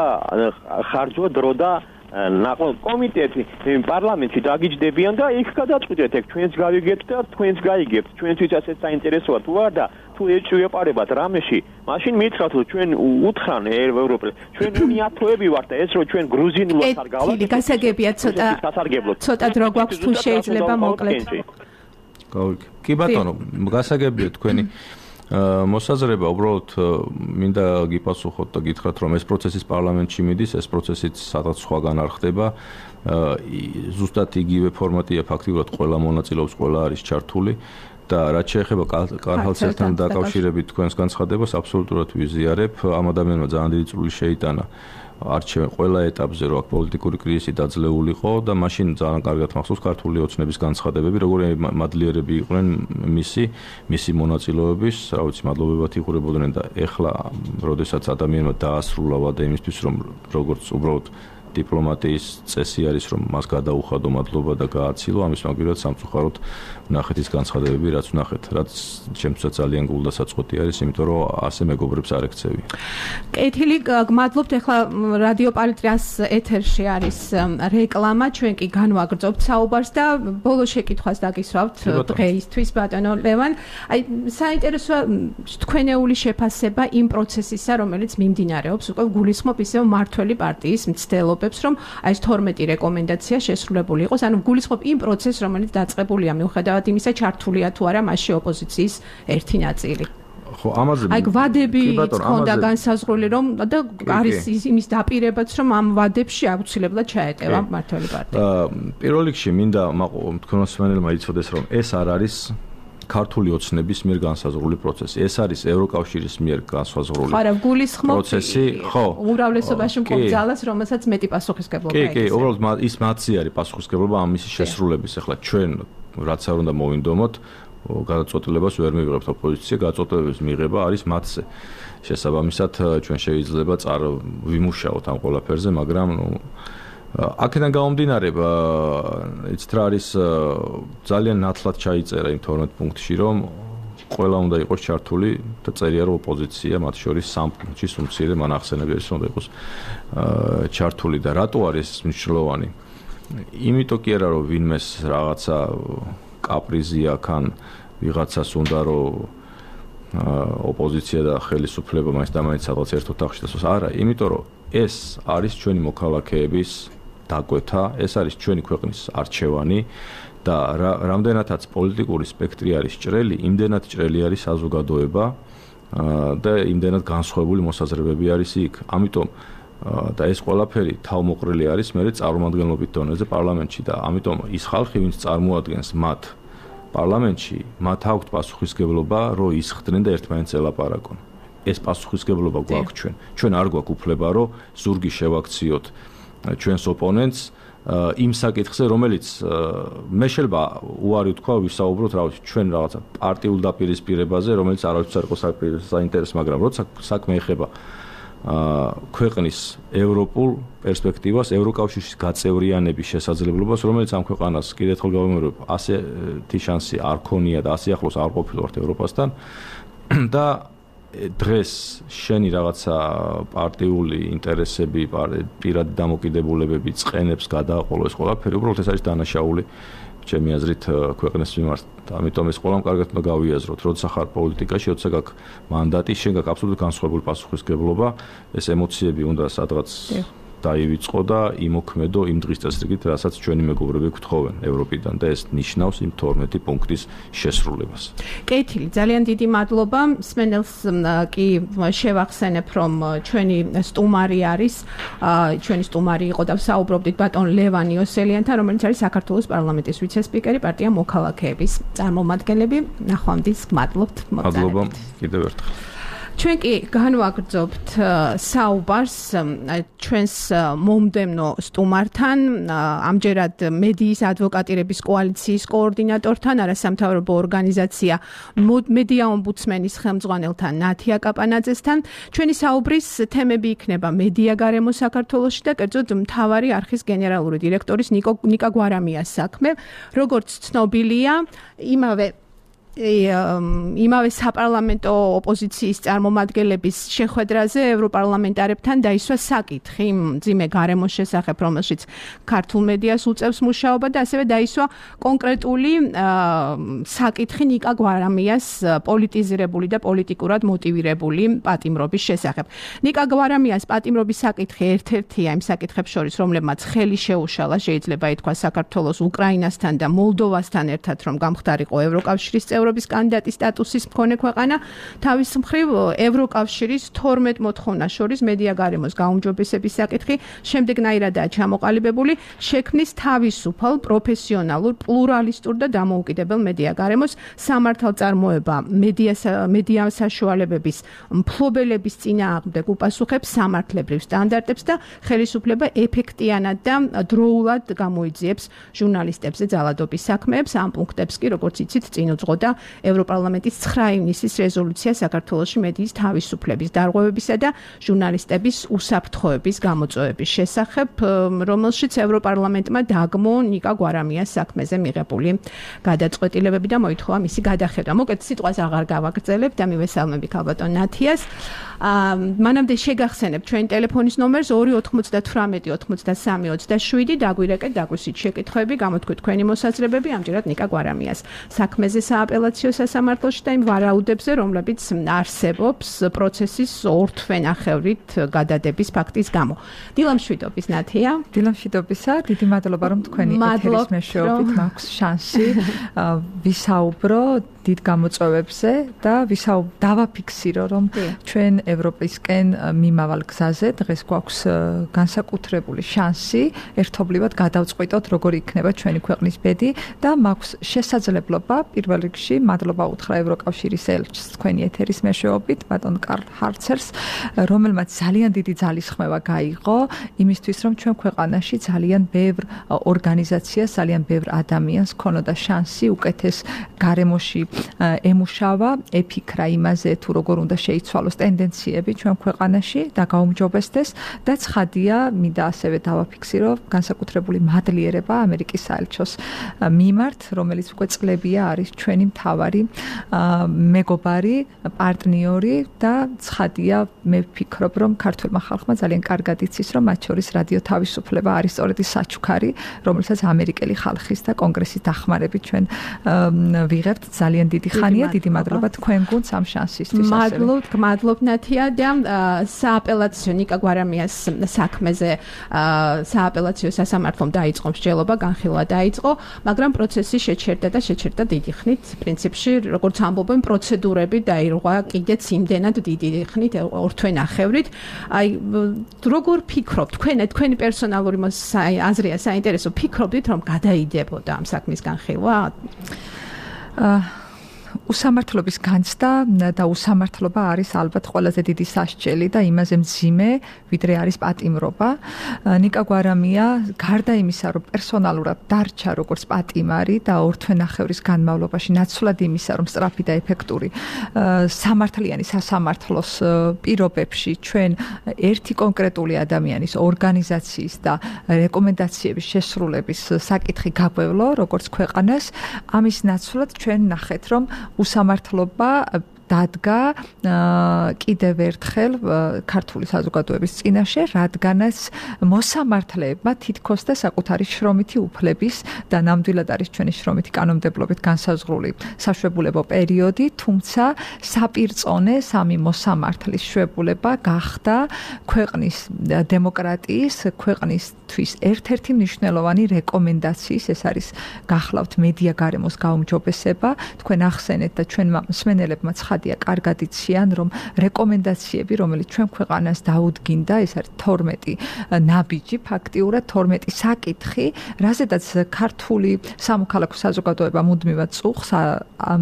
ხარჯვა დრო და კომიტეტი პარლამენტში დაგიჯდებიან და იქ გადაწყვეტეთ, ჩვენც გავიგებთ და თქვენც გაიგებთ, ჩვენთვის ასეთ საინტერესოა თუ არ და თუ ეჭვიეპარებათ რამეში, მაშინ მითხრათ რომ ჩვენ უთხრან ევროპელს, ჩვენ უნიათოები ვართ და ეს რომ ჩვენ გრუზინულად არ გავაკეთებთ. გასაგებია ცოტა დრო გვაქვს თუ შეიძლება მოკლედ. კი ბატონო, გასაგებია თქვენი მოსაზრება, უბრალოდ მინდა გიპასუხოთ და გითხრათ, რომ ეს პროცესის პარლამენტში მიდის, ეს პროცესიც სადღაც სხვაგან არ ხდება. ზუსტად იგივე ფორმატია, ფაქტიურად ყველა მონაწილეობს, ყველა არის ჩართული და რაც შეეხება კარჰალცელთან დაკავშირებით თქვენს განცხადებას, აბსოლუტურად ვიზიარებ. ამ ადამიანმა ძალიან დიდი წვლილი შეიტანა არჩევენ ყველა ეტაპზე, რომ აქ პოლიტიკური კრიზისი დაძლეულიყო და მაშინ ძალიან კარგად მახსოვს ქართული ოცნების განცხადებები, როგორი მადლიერები იყვნენ მისი მონაწილეობის, რა ვიცი, მადლობებად იხურებოდნენ და ეხლა, როდესაც ადამიანმა დაასრულა ვადა იმისთვის, რომ როგორც უბრალოდ დიპლომატიის წესი არის, რომ მას გადაუხადო მადლობა და გააცილო, ამის მაგივრად სამწუხაროდ ვნახეთ ის განცხადებები, რაც ვნახეთ, რაც ჩემთვისაც ძალიან გულდასაწყვეტი არის, იმიტომ რომ ასე მეგობრებს არ ექცევი. კეთილი, გმადლობთ. ახლა რადიო პალიტრას ეთერში არის რეკლამა, ჩვენ კი განვაგრძობთ საუბარს და ბოლო შეკითხვას დაგისვავთ დღეისთვის, ბატონო ლევან. აი, საინტერესოა თქვენეული შეფასება იმ პროცესისა, რომელიც მიმდინარეობს, უკვე გულისხმობ ისევ მართველი პარტიის მცდელობ რომ აი ეს 12 რეკომენდაცია შესრულებული იყოს, ანუ გულისხმობ იმ პროცესს, რომელიც დაწყებულია მიუხედავად იმისა, ჩართულია თუ არა მასში ოპოზიციის ერთი ნაწილი. ხო, ამაზე აი ვადები ჰქონდა განსაზღვრული, რომ და არის იმის დაპირებაც, რომ ამ ვადებში აუცილებლად ჩაეტევა მართველი პარტია. პირველ რიგში მინდა თქვენოსმენელმა იცოდეს, რომ ეს არ არის ქართული ოცნების მიერ განსაზღვრული პროცესი. ეს არის ევროკავშირის მიერ განსაზღვრული პროცესი, ხო. უმრავლესობაში მყოფ ძალას, რომელსაც მეტი პასუხისმგებლობა აქვს. კი, უბრალოდ ის მათი არის პასუხისმგებლობა ამის შესრულების. ახლა ჩვენ რაც არ უნდა მოვინდომოთ, გადაწყვეტილებას ვერ მივიღებთ, ოპოზიცია გადაწყვეტილების მიღება არის მათზე. შესაბამისად, ჩვენ შეიძლება ვიმუშაოთ ამ ყველაფერზე, მაგრამ აქედან გამომდინარე, იცით რა არის ძალიან ნათლად ჩაიწერა იმ 12 პუნქტში, რომ ყველა უნდა იყოს ჩართული და წერია რომ ოპოზიცია მათ შორის 3 პუნქტში უმცირე მან ახსენები არის რომ უნდა იყოს ჩართული და რატო არის მნიშვნელოვანი? იმიტომ კი არა რომ ვინმეს რაღაცა კაპრიზი აქვს ან ვიღაცას უნდა რომ ოპოზიცია და ხელისუფლება მაინც და მაინც სადღაც ერთ ოთახში დასვას. არა, იმიტომ რომ ეს არის ჩვენი მოქალაქეების დაკვეთა, ეს არის ჩვენი ქვეყნის არჩევანი და რამდენადაც პოლიტიკური სპექტრი არის ჭრელი, იმდენად ჭრელი არის საზოგადოება და იმდენად განსხვავებული მოსაზრებები არის იქ. ამიტომ და ეს ყველაფერი თავმოყრილი არის მე წარმომადგენლობით დონეზე პარლამენტში და ამიტომ ის ხალხი, ვინც წარმოადგენს მათ პარლამენტში, მათ აქვთ პასუხისმგებლობა, რომ ისხდნენ და ერთმანეთს ელაპარაკონ. ეს პასუხისმგებლობა გვაქვს ჩვენ. ჩვენ არ გვაქვს უფლება, რომ ზურგი შევაქციოთ ჩვენს ოპონენტს იმ საკითხზე, რომელიც მე შეიძლება უარი ვთქვა, ვისაუბროთ ჩვენ რაღაცა პარტიულ დაპირისპირებაზე, რომელიც არავის არ იყო საინტერესო, მაგრამ როცა საქმე ეხება ქვეყნის ევროპულ პერსპექტივას, ევროკავშირის გაწევრიანების შესაძლებლობას, რომელიც ამ ქვეყანას კიდევ ერთხელ გავიმეორებ, ასეთი შანსი არ ქონია და ასე ახლოს არ ყოფილვართ ევროპასთან და დღეს შენი რაღაცა პარტიული ინტერესები, პირადი დამოკიდებულებები წყენებს გადააყოლო ეს ყველაფერი, უბრალოდ ეს არის დანაშაული ჩემი აზრით ქვეყნის მიმართ. ამიტომ ეს ყველამ კარგად უნდა გავიაზროთ, როცა ხარ პოლიტიკაში, როცა გაქვს მანდატი, შენ გაქვს აბსოლუტურად განსხვავებული პასუხისმგებლობა, ეს ემოციები უნდა სადღაც დაივიწყო და იმოქმედო იმ დღის წესრიგით, რასაც ჩვენი მეგობრები გვთხოვენ ევროპიდან და ეს ნიშნავს იმ 12 პუნქტის შესრულებას. კეთილი, ძალიან დიდი მადლობა. სმენელს კი შევახსენებ, რომ ჩვენი სტუმარი არის, ჩვენი სტუმარი იყო და საუბრობდით ბატონ ლევან იოსელიანთან, რომელიც არის საქართველოს პარლამენტის ვიცე-სპიკერი, პარტია მოქალაქეების წარმომადგენლები. ნახვამდის გმადლობთ მოგზაურობთ. მადლობა კიდევ ერთხელ. ჩვენ კი განვაგრძობთ საუბარს ჩვენს მომდევნო სტუმართან, ამჯერად მედიის ადვოკატირების კოალიციის კოორდინატორთან, არასამთავრობო ორგანიზაცია მედია ომბუდსმენის ხელმძღვანელთან ნათია კაპანაძესთან. ჩვენი საუბრის თემები იქნება მედია გარემო საქართველოში და კერძოდ მთავარი არხის გენერალური დირექტორის ნიკა გვარამიას საქმე. როგორც ცნობილია, იმავე საპარლამენტო ოპოზიციის წარმომადგენლების შეხვედრაზე ევროპარლამენტარებთან დაისვა საკითხი მძიმე გარემოს შესახებ, რომელშიც ქართულ მედიას უწევს მუშაობა და ასევე დაისვა კონკრეტული საკითხი ნიკა გვარამიას პოლიტიზირებული და პოლიტიკურად მოტივირებული პატიმრობის შესახებ. ნიკა გვარამიას პატიმრობის საკითხი ერთ-ერთია იმ საკითხებს შორის, რომლებმაც ხელი შეუშალა, შეიძლება ითქვას, საქართველოს, უკრაინასთან და მოლდოვასთან ერთად, რომ გამხდარიყო ევროკავშირის ევროპის კანდიდატის სტატუსის მქონე ქვეყანა, თავის მხრივ ევროკავშირის 12 მოთხოვნას შორის მედია გარემოს გაუმჯობესების საკითხი შემდეგნაირადაა ჩამოყალიბებული, შექმნის თავისუფალ, პროფესიონალურ, პლურალისტურ და დამოუკიდებელ მედია გარემოს სამართალწარმოება მედია საშუალებების მფლობელების წინააღმდეგ უპასუხებს სამართლებრივ სტანდარტებს და ხელისუფლება ეფექტიანად და დროულად გამოიძიებს ჟურნალისტებზე ძალადობის საქმეებს. ამ პუნქტებს კი, როგორც იცით, წინ უძღოდა ევროპარლამენტის 9 ივნისის რეზოლუცია საქართველოში მედიის თავისუფლების დარღვევებისა და ჟურნალისტების უსაფრთხოების გამოწვევების შესახებ, რომელშიც ევროპარლამენტმა დაგმო ნიკა გვარამიას საქმეზე მიღებული გადაწყვეტილებები და მოითხოვა მისი გადახედვა. მოკეთ სიტყვას აღარ გავაგრძელებთ და მივესალმები ქალბატონ ნათიას. მანამდე შეგახსენებთ ჩვენი ტელეფონის ნომერს 298 83 27, დაგვირეკეთ, დაგვისვით შეკითხვები, გამოთქვით თქვენი მოსაზრებები ამჯერად ნიკა გვარამიას საქმეზე სააპელაციო სასამართლოში და იმ ვარაუდებზე, რომლებიც არსებობს პროცესის ორთვენახევრით გადადების ფაქტის გამო. დილამშვიდობის ნათია. დილამშვიდობისა, დიდი მადლობა, რომ თქვენი ეთერის მეშვეობით მაქვს შანსი ვისაუბრო დიდ გამოწვევებზე და დავაფიქსირო, რომ ჩვენ ევროპისკენ მიმავალ გზაზე დღეს გვაქვს განსაკუთრებული შანსი ერთობლივად გადავწყვიტოთ, როგორი იქნება ჩვენი ქვეყნის ბედი და მაქვს შესაძლებლობა პირველ რიგში მადლობა უთხრა ევროკავშირის ელჩს თქვენი ეთერის მეშვეობით, ბატონ კარლ ჰარცერს, რომელმაც ძალიან დიდი ძალისხმევა გაიღო იმისთვის, რომ ჩვენ ქვეყანაში ძალიან ბევრ ორგანიზაციას, ძალიან ბევრ ადამიანს ქონოდა შანსი უკეთეს გარემოში ემუშავა, ეფიქრა იმაზე, თუ როგორ უნდა შეიცვალოს ტენდენციები ჩვენ ქვეყანაში და გაუმჯობესდეს და ცხადია, მინდა ასევე დავაფიქსირო განსაკუთრებული მადლიერება ამერიკის საელჩოს მიმართ, რომელიც უკვე წლებია არის ჩვენი მთავარი მეგობარი, პარტნიორი და ცხადია, მე ვფიქრობ, რომ ქართულმა ხალხმა ძალიან კარგად იცის, რომ მათ შორის რადიო თავისუფლება არის სწორედ ის საჩუქარი, რომელსაც ამერიკელი ხალხის და კონგრესის დახმარებით ჩვენ ვიღებთ. ძალიან დიდი ხანია, დიდი მადლობა თქვენ გუნდს ამ შანსისთვის. მადლობ ნათია და სააპელაციო ნიკა გვარამიას საქმეზე სააპელაციო სასამართლომ დაიწყო მსჯელობა, განხილვა დაიწყო, მაგრამ პროცესი შეჩერდა დიდი ხნით. პრინციპში, როგორც ამბობენ, პროცედურები დაირღვა კიდეც იმდენად დიდი ხნით, 2 თვე ნახევრით. აი, როგორ ფიქრობთ, თქვენი პერსონალური აზრია საინტერესო, ფიქრობთ, რომ გადაიდებოდა ამ საქმის განხილვა? უსამართლობის განცდა და უსამართლობა არის ალბათ ყველაზე დიდი სასჯელი და იმაზე მძიმე, ვიდრე არის პატიმრობა. ნიკა გვარამია გარდა იმისა, რომ პერსონალურად დარჩა როგორც პატიმარი და 2 თვე ნახევრის განმავლობაში ნაცვლად იმისა, რომ სწრაფი და ეფექტური სამართლიანი სასამართლოს პირობებში ჩვენ ერთი კონკრეტული ადამიანის ორგანიზაციის და რეკომენდაციების შესრულების საკითხი გაგვევლო, როგორც ქვეყანას, ამის ნაცვლად ჩვენ ნახეთ, რომ უსამართლობა დადგა კიდევ ერთხელ ქართული საზოგადოების წინაშე, რადგანაც მოსამართლეებმა თითქოს და საკუთარი შრომითი უფლების და ნამდვილად არის ჩვენი შრომითი კანონმდებლობით განსაზღვრული საშვებულებო პერიოდი, თუმცა საპირწონე სამი მოსამართლის შვებულება გახდა ქვეყნის დემოკრატიის, ქვეყნისთვის ერთ-ერთი მნიშვნელოვანი რეკომენდაციის, ეს არის გახლავთ მედია გარემოს გაუმჯობესება. თქვენ ახსენეთ და ჩვენმა მსმენელებმა კარგად იციან, რომ რეკომენდაციები, რომელიც ჩვენ ქვეყანას დაუდგინდა, ეს არის 12 ნაბიჯი, ფაქტიურად 12 საკითხი, რაზედაც ქართული სამოქალაქო საზოგადოება მუდმივად წუხს,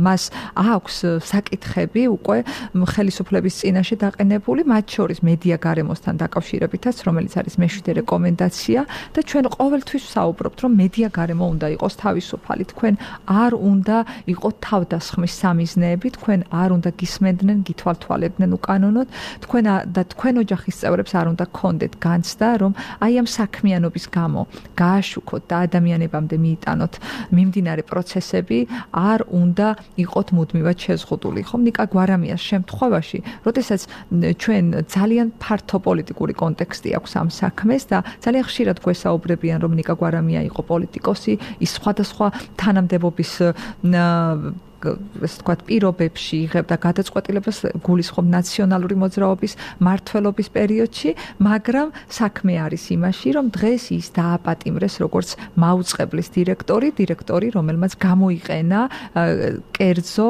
მას აქვს საკითხები უკვე ხელისუფლების წინაშე დაყენებული, მათ შორის მედია გარემოსთან დაკავშირებითაც, რომელიც არის მე-7 რეკომენდაცია და ჩვენ ყოველთვის ვსაუბრობთ, რომ მედია გარემო უნდა იყოს თავისუფალი, თქვენ არ უნდა იყოთ თავდასხმის სამიზნეები, თქვენ არ უნდა გისმენდნენ, გითვალთვალებდნენ უკანონოდ, თქვენ ოჯახის წევრებს არ უნდა გქონდეთ განცდა, რომ აი ამ საქმიანობის გამო გააშუქოთ და ადამიანებამდე მიიტანოთ მიმდინარე პროცესები, არ უნდა იყოთ მუდმივად შეზღუდული. ხომ ნიკა გვარამიას შემთხვევაში, როდესაც ჩვენ ძალიან ფართო პოლიტიკური კონტექსტი აქვს ამ საქმეს და ძალიან ხშირად გვესაუბრებიან, რომ ნიკა გვარამია იყო პოლიტიკოსი, ის სხვადასხვა თანამდებობის ეს თქვა პირობებში იღებდა გადაწყვეტილებას გულისხმობ ნაციონალური მოძრაობის მმართველობის პერიოდში, მაგრამ საქმე არის იმაში, რომ დღეს ის დააპატიმრეს როგორც მაუწყებლის დირექტორი, რომელმაც გამოიყენა კერძო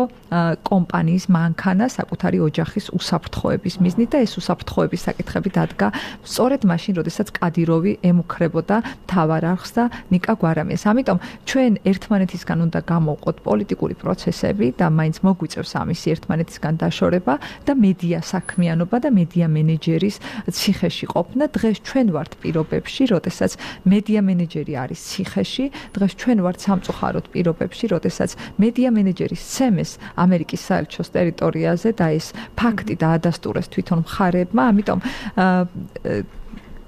კომპანიის მანქანა საკუთარი ოჯახის უსაფრთხოების მიზნით და ეს უსაფრთხოების საკითხები დადგა სწორედ მაშინ, როდესაც კადიროვი ემუქრებოდა მთავარ არხს და ნიკა გვარამიას. ამიტომ ჩვენ ერთმანეთისგან უნდა გამოვყოთ პოლიტიკური პროცესი და მაინც მოგვიწევს ამის ერთმანეთისგან დაშორება და მედია საქმიანობა და მედია მენეჯერის ციხეში ყოფნა. დღეს ჩვენ ვართ პირობებში, როდესაც მედია მენეჯერი არის ციხეში, დღეს ჩვენ ვართ სამწუხაროდ პირობებში, როდესაც მედია მენეჯერის ცემეს ამერიკის საელჩოს ტერიტორიაზე და ეს ფაქტი დაადასტურეს თვითონ მხარეებმა, ამიტომ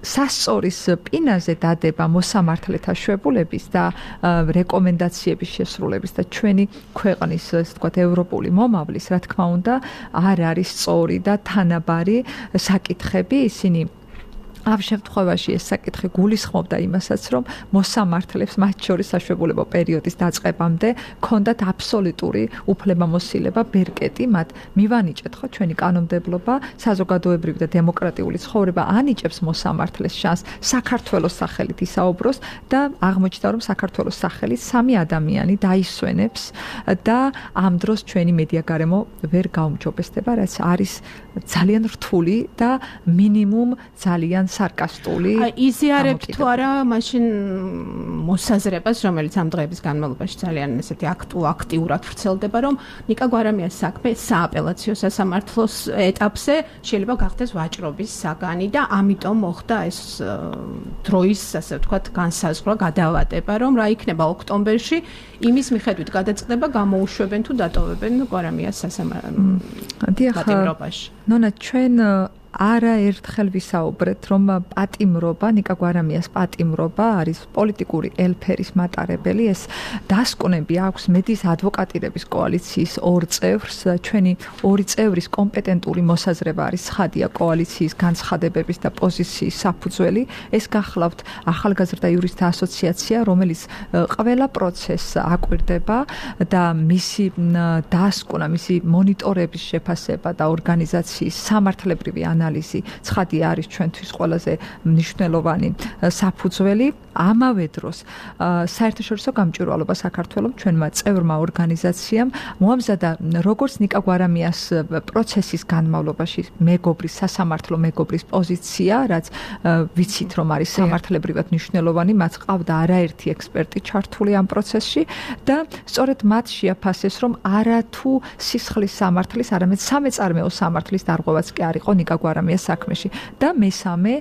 სასწორის პინაზე დადება მოსამართლეთა შვებულების და რეკომენდაციების შესრულების და ჩვენი ქვეყნის, ასე ვთქვათ, ევროპული მომავლის, რა თქმა უნდა, არ არის სწორი და თანაბარი საკითხები, ისინი ამ შემთხვევაში ეს საკითხი გულისხმობდა იმასაც, რომ მოსამართლებს მათ შორის საშვებულებო პერიოდის დაწყებამდე ქონდათ აბსოლუტური უფლებამოსილება, ბერკეტი მათ მივანიჭეთ ხო ჩვენი კანონმდებლობა, საზოგადოებრივი და დემოკრატიული ცხოვრება ანიჭებს მოსამართლეს შანსს საქართველოს სახელით ისაუბროს და აღმოჩნდა, რომ საქართველოს სახელით 3 ადამიანი დაისვენებს და ამ დროს ჩვენი მედია გარემო ვერ გაუმჯობესდება, რაც არის ძალიან რთული და მინიმუმ ძალიან სარკასტული. იზიარებთ თუ არა მაშინ მოსაზრებას, რომელიც ამ დღეების განმავლობაში ძალიან ესეთი აქტიურად ვრცელდება, რომ ნიკა გვარამიას საქმე სააპელაციო სასამართლოს ეტაპზე შეიძლება გახდეს ვაჭრობის საგანი და ამიტომ მოხდა ეს დროის, ასე ვთქვათ, განსაზღვრა, გადავატება, რომ რა იქნება ოქტომბერში, იმის მიხედვით გადაწყდება, გამოუშვებენ თუ დატოვებენ გვარამიას სასამართლოში. ნონა, ჩვენ არაერთხელ ვისაუბრეთ, რომ პატიმრობა, ნიკა გვარამიას პატიმრობა არის პოლიტიკური ელფერის მატარებელი. ეს დასკვნები აქვს მედის ადვოკატირების კოალიციის ორ წევრს. ჩვენი ორი წევრის კომპეტენტური მოსაზრება არის ცხადია კოალიციის განცხადებების და პოზიციის საფუძველი. ეს გახლავთ ახალგაზრდა იურისტთა ასოციაცია, რომელიც ყველა პროცესს აკვირდება და მისი დასკვნა, მისი მონიტორების შეფასება და ორგანიზაციის სამართლებრივი ანალიზი ცხადია არის ჩვენთვის ყველაზე მნიშვნელოვანი საფუძველი. ამავე დროს საერთაშორისო გამჭვირვალობა საქართველოს ჩვენმა წევრმა ორგანიზაციამ მოამზადა როგორც ნიკა გვარამიას პროცესის განმავლობაში მეგობრის სასამართლო მეგობრის პოზიცია, რაც ვიცით რომ არის სამართლებრივად მნიშვნელოვანი, მათ ყავდა არაერთი ექსპერტი ჩართული ამ პროცესში და სწორედ მათ შეაფასეს რომ არათუ სისხლის სამართლის, არამედ სამეწარმეო სამართლის დარღვევაც კი არ იყო ნიკა გვარამიას საქმეში და მესამე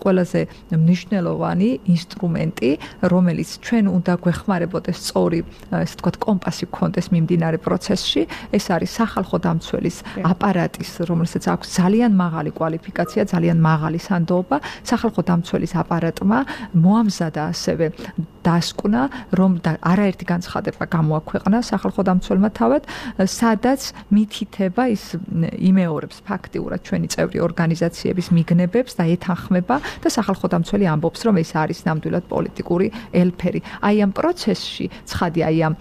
ყველაზე მნიშვნელოვანი ინსტრუმენტი, რომელიც ჩვენ უნდა გვეხმარებოდეს სწორი, ესე ვთქვათ, კომპასი გქონდეს მიმდინარე პროცესში, ეს არის სახალხო დამცველის აპარატის, რომელსაც აქვს ძალიან მაღალი კვალიფიკაცია, ძალიან მაღალი სანდოობა, სახალხო დამცველის აპარატმა მოამზადა ასევე დასკვნა, რომ არაერთი განცხადება გამოაქვეყნა სახალხო დამცველმა თავად, სადაც მითითება ის იმეორებს ფაქტიურად ჩვენი წევრი ორგანიზაციების მიგნებებს და ეთანხმება და სახალხო დამცველი ამბობს, რომ ეს არის ნამდვილად პოლიტიკური ელფერი. აი ამ პროცესში, ცხადია, აი ამ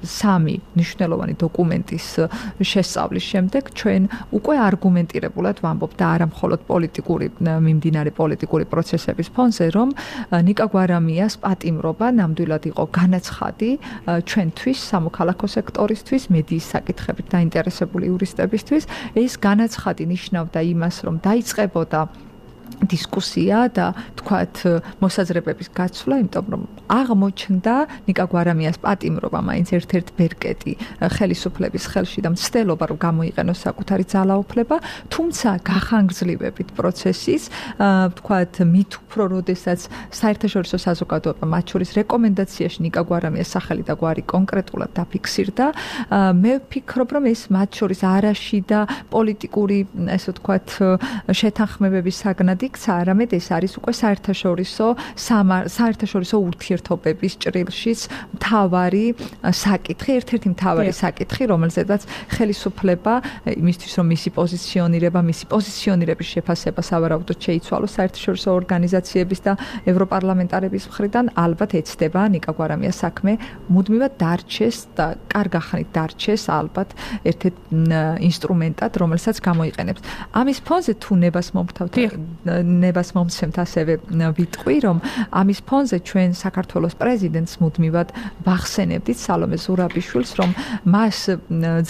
სამი მნიშვნელოვანი დოკუმენტის შესწავლის შემდეგ ჩვენ უკვე არგუმენტირებულად ვამბობ და არა მხოლოდ მიმდინარე პოლიტიკური პროცესების ფონზე, რომ ნიკა გვარამიას პატიმრობა ნამდვილად იყო განაცხადი ჩვენთვის, სამოქალაქო სექტორისთვის, მედიის საკითხებით დაინტერესებული იურისტებისთვის. ეს განაცხადი ნიშნავდა იმას, რომ დაიწყებოდა დისკუსია და თქვათ მოსაზრებების გაცვლა, იმიტომ რომ აღმოჩნდა ნიკა გვარამიას პატიმრობა მაინც ერთ-ერთ ბერკეტი ხელისუფლების ხელში და მცდელობა რომ გამოიყენოს საკუთარი ძალაუფლება, თუმცა გახანგრძლივებით პროცესის, თქვათ მით უფრო როდესაც საერთაშორისო საზოგადოება მათ შორის რეკომენდაციაში ნიკა გვარამიას სახელი და გვარი კონკრეტულად დაფიქსირდა, მე ვფიქრობ რომ ეს მათ შორის არაში და პოლიტიკური, ესე ვთქვათ, შეთანხმებების საგნად იქცა, არამედ ეს არის უკვე საერთაშორისო ურთიერთობების ჭრილშიც მთავარი საკითხი, ერთ-ერთი მთავარი საკითხი, რომელზედაც ხელისუფლება იმისთვის, რომ მისი პოზიციონირების შეფასება სავარაუდოდ შეიცვალოს საერთაშორისო ორგანიზაციების და ევროპარლამენტარების მხრიდან, ალბათ ეცდება ნიკა გვარამიას საქმე მუდმივად დარჩეს და კარგა ხნით დარჩეს ალბათ ერთ-ერთ ინსტრუმენტად, რომელსაც გამოიყენებს. ამის ფონზე თუ ნებას მომცემთ ასევე ვიტყვი, რომ ამის ფონზე ჩვენ საქართველოს პრეზიდენტს მუდმივად ვახსენებდით სალომე ზურაბიშვილს, რომ მას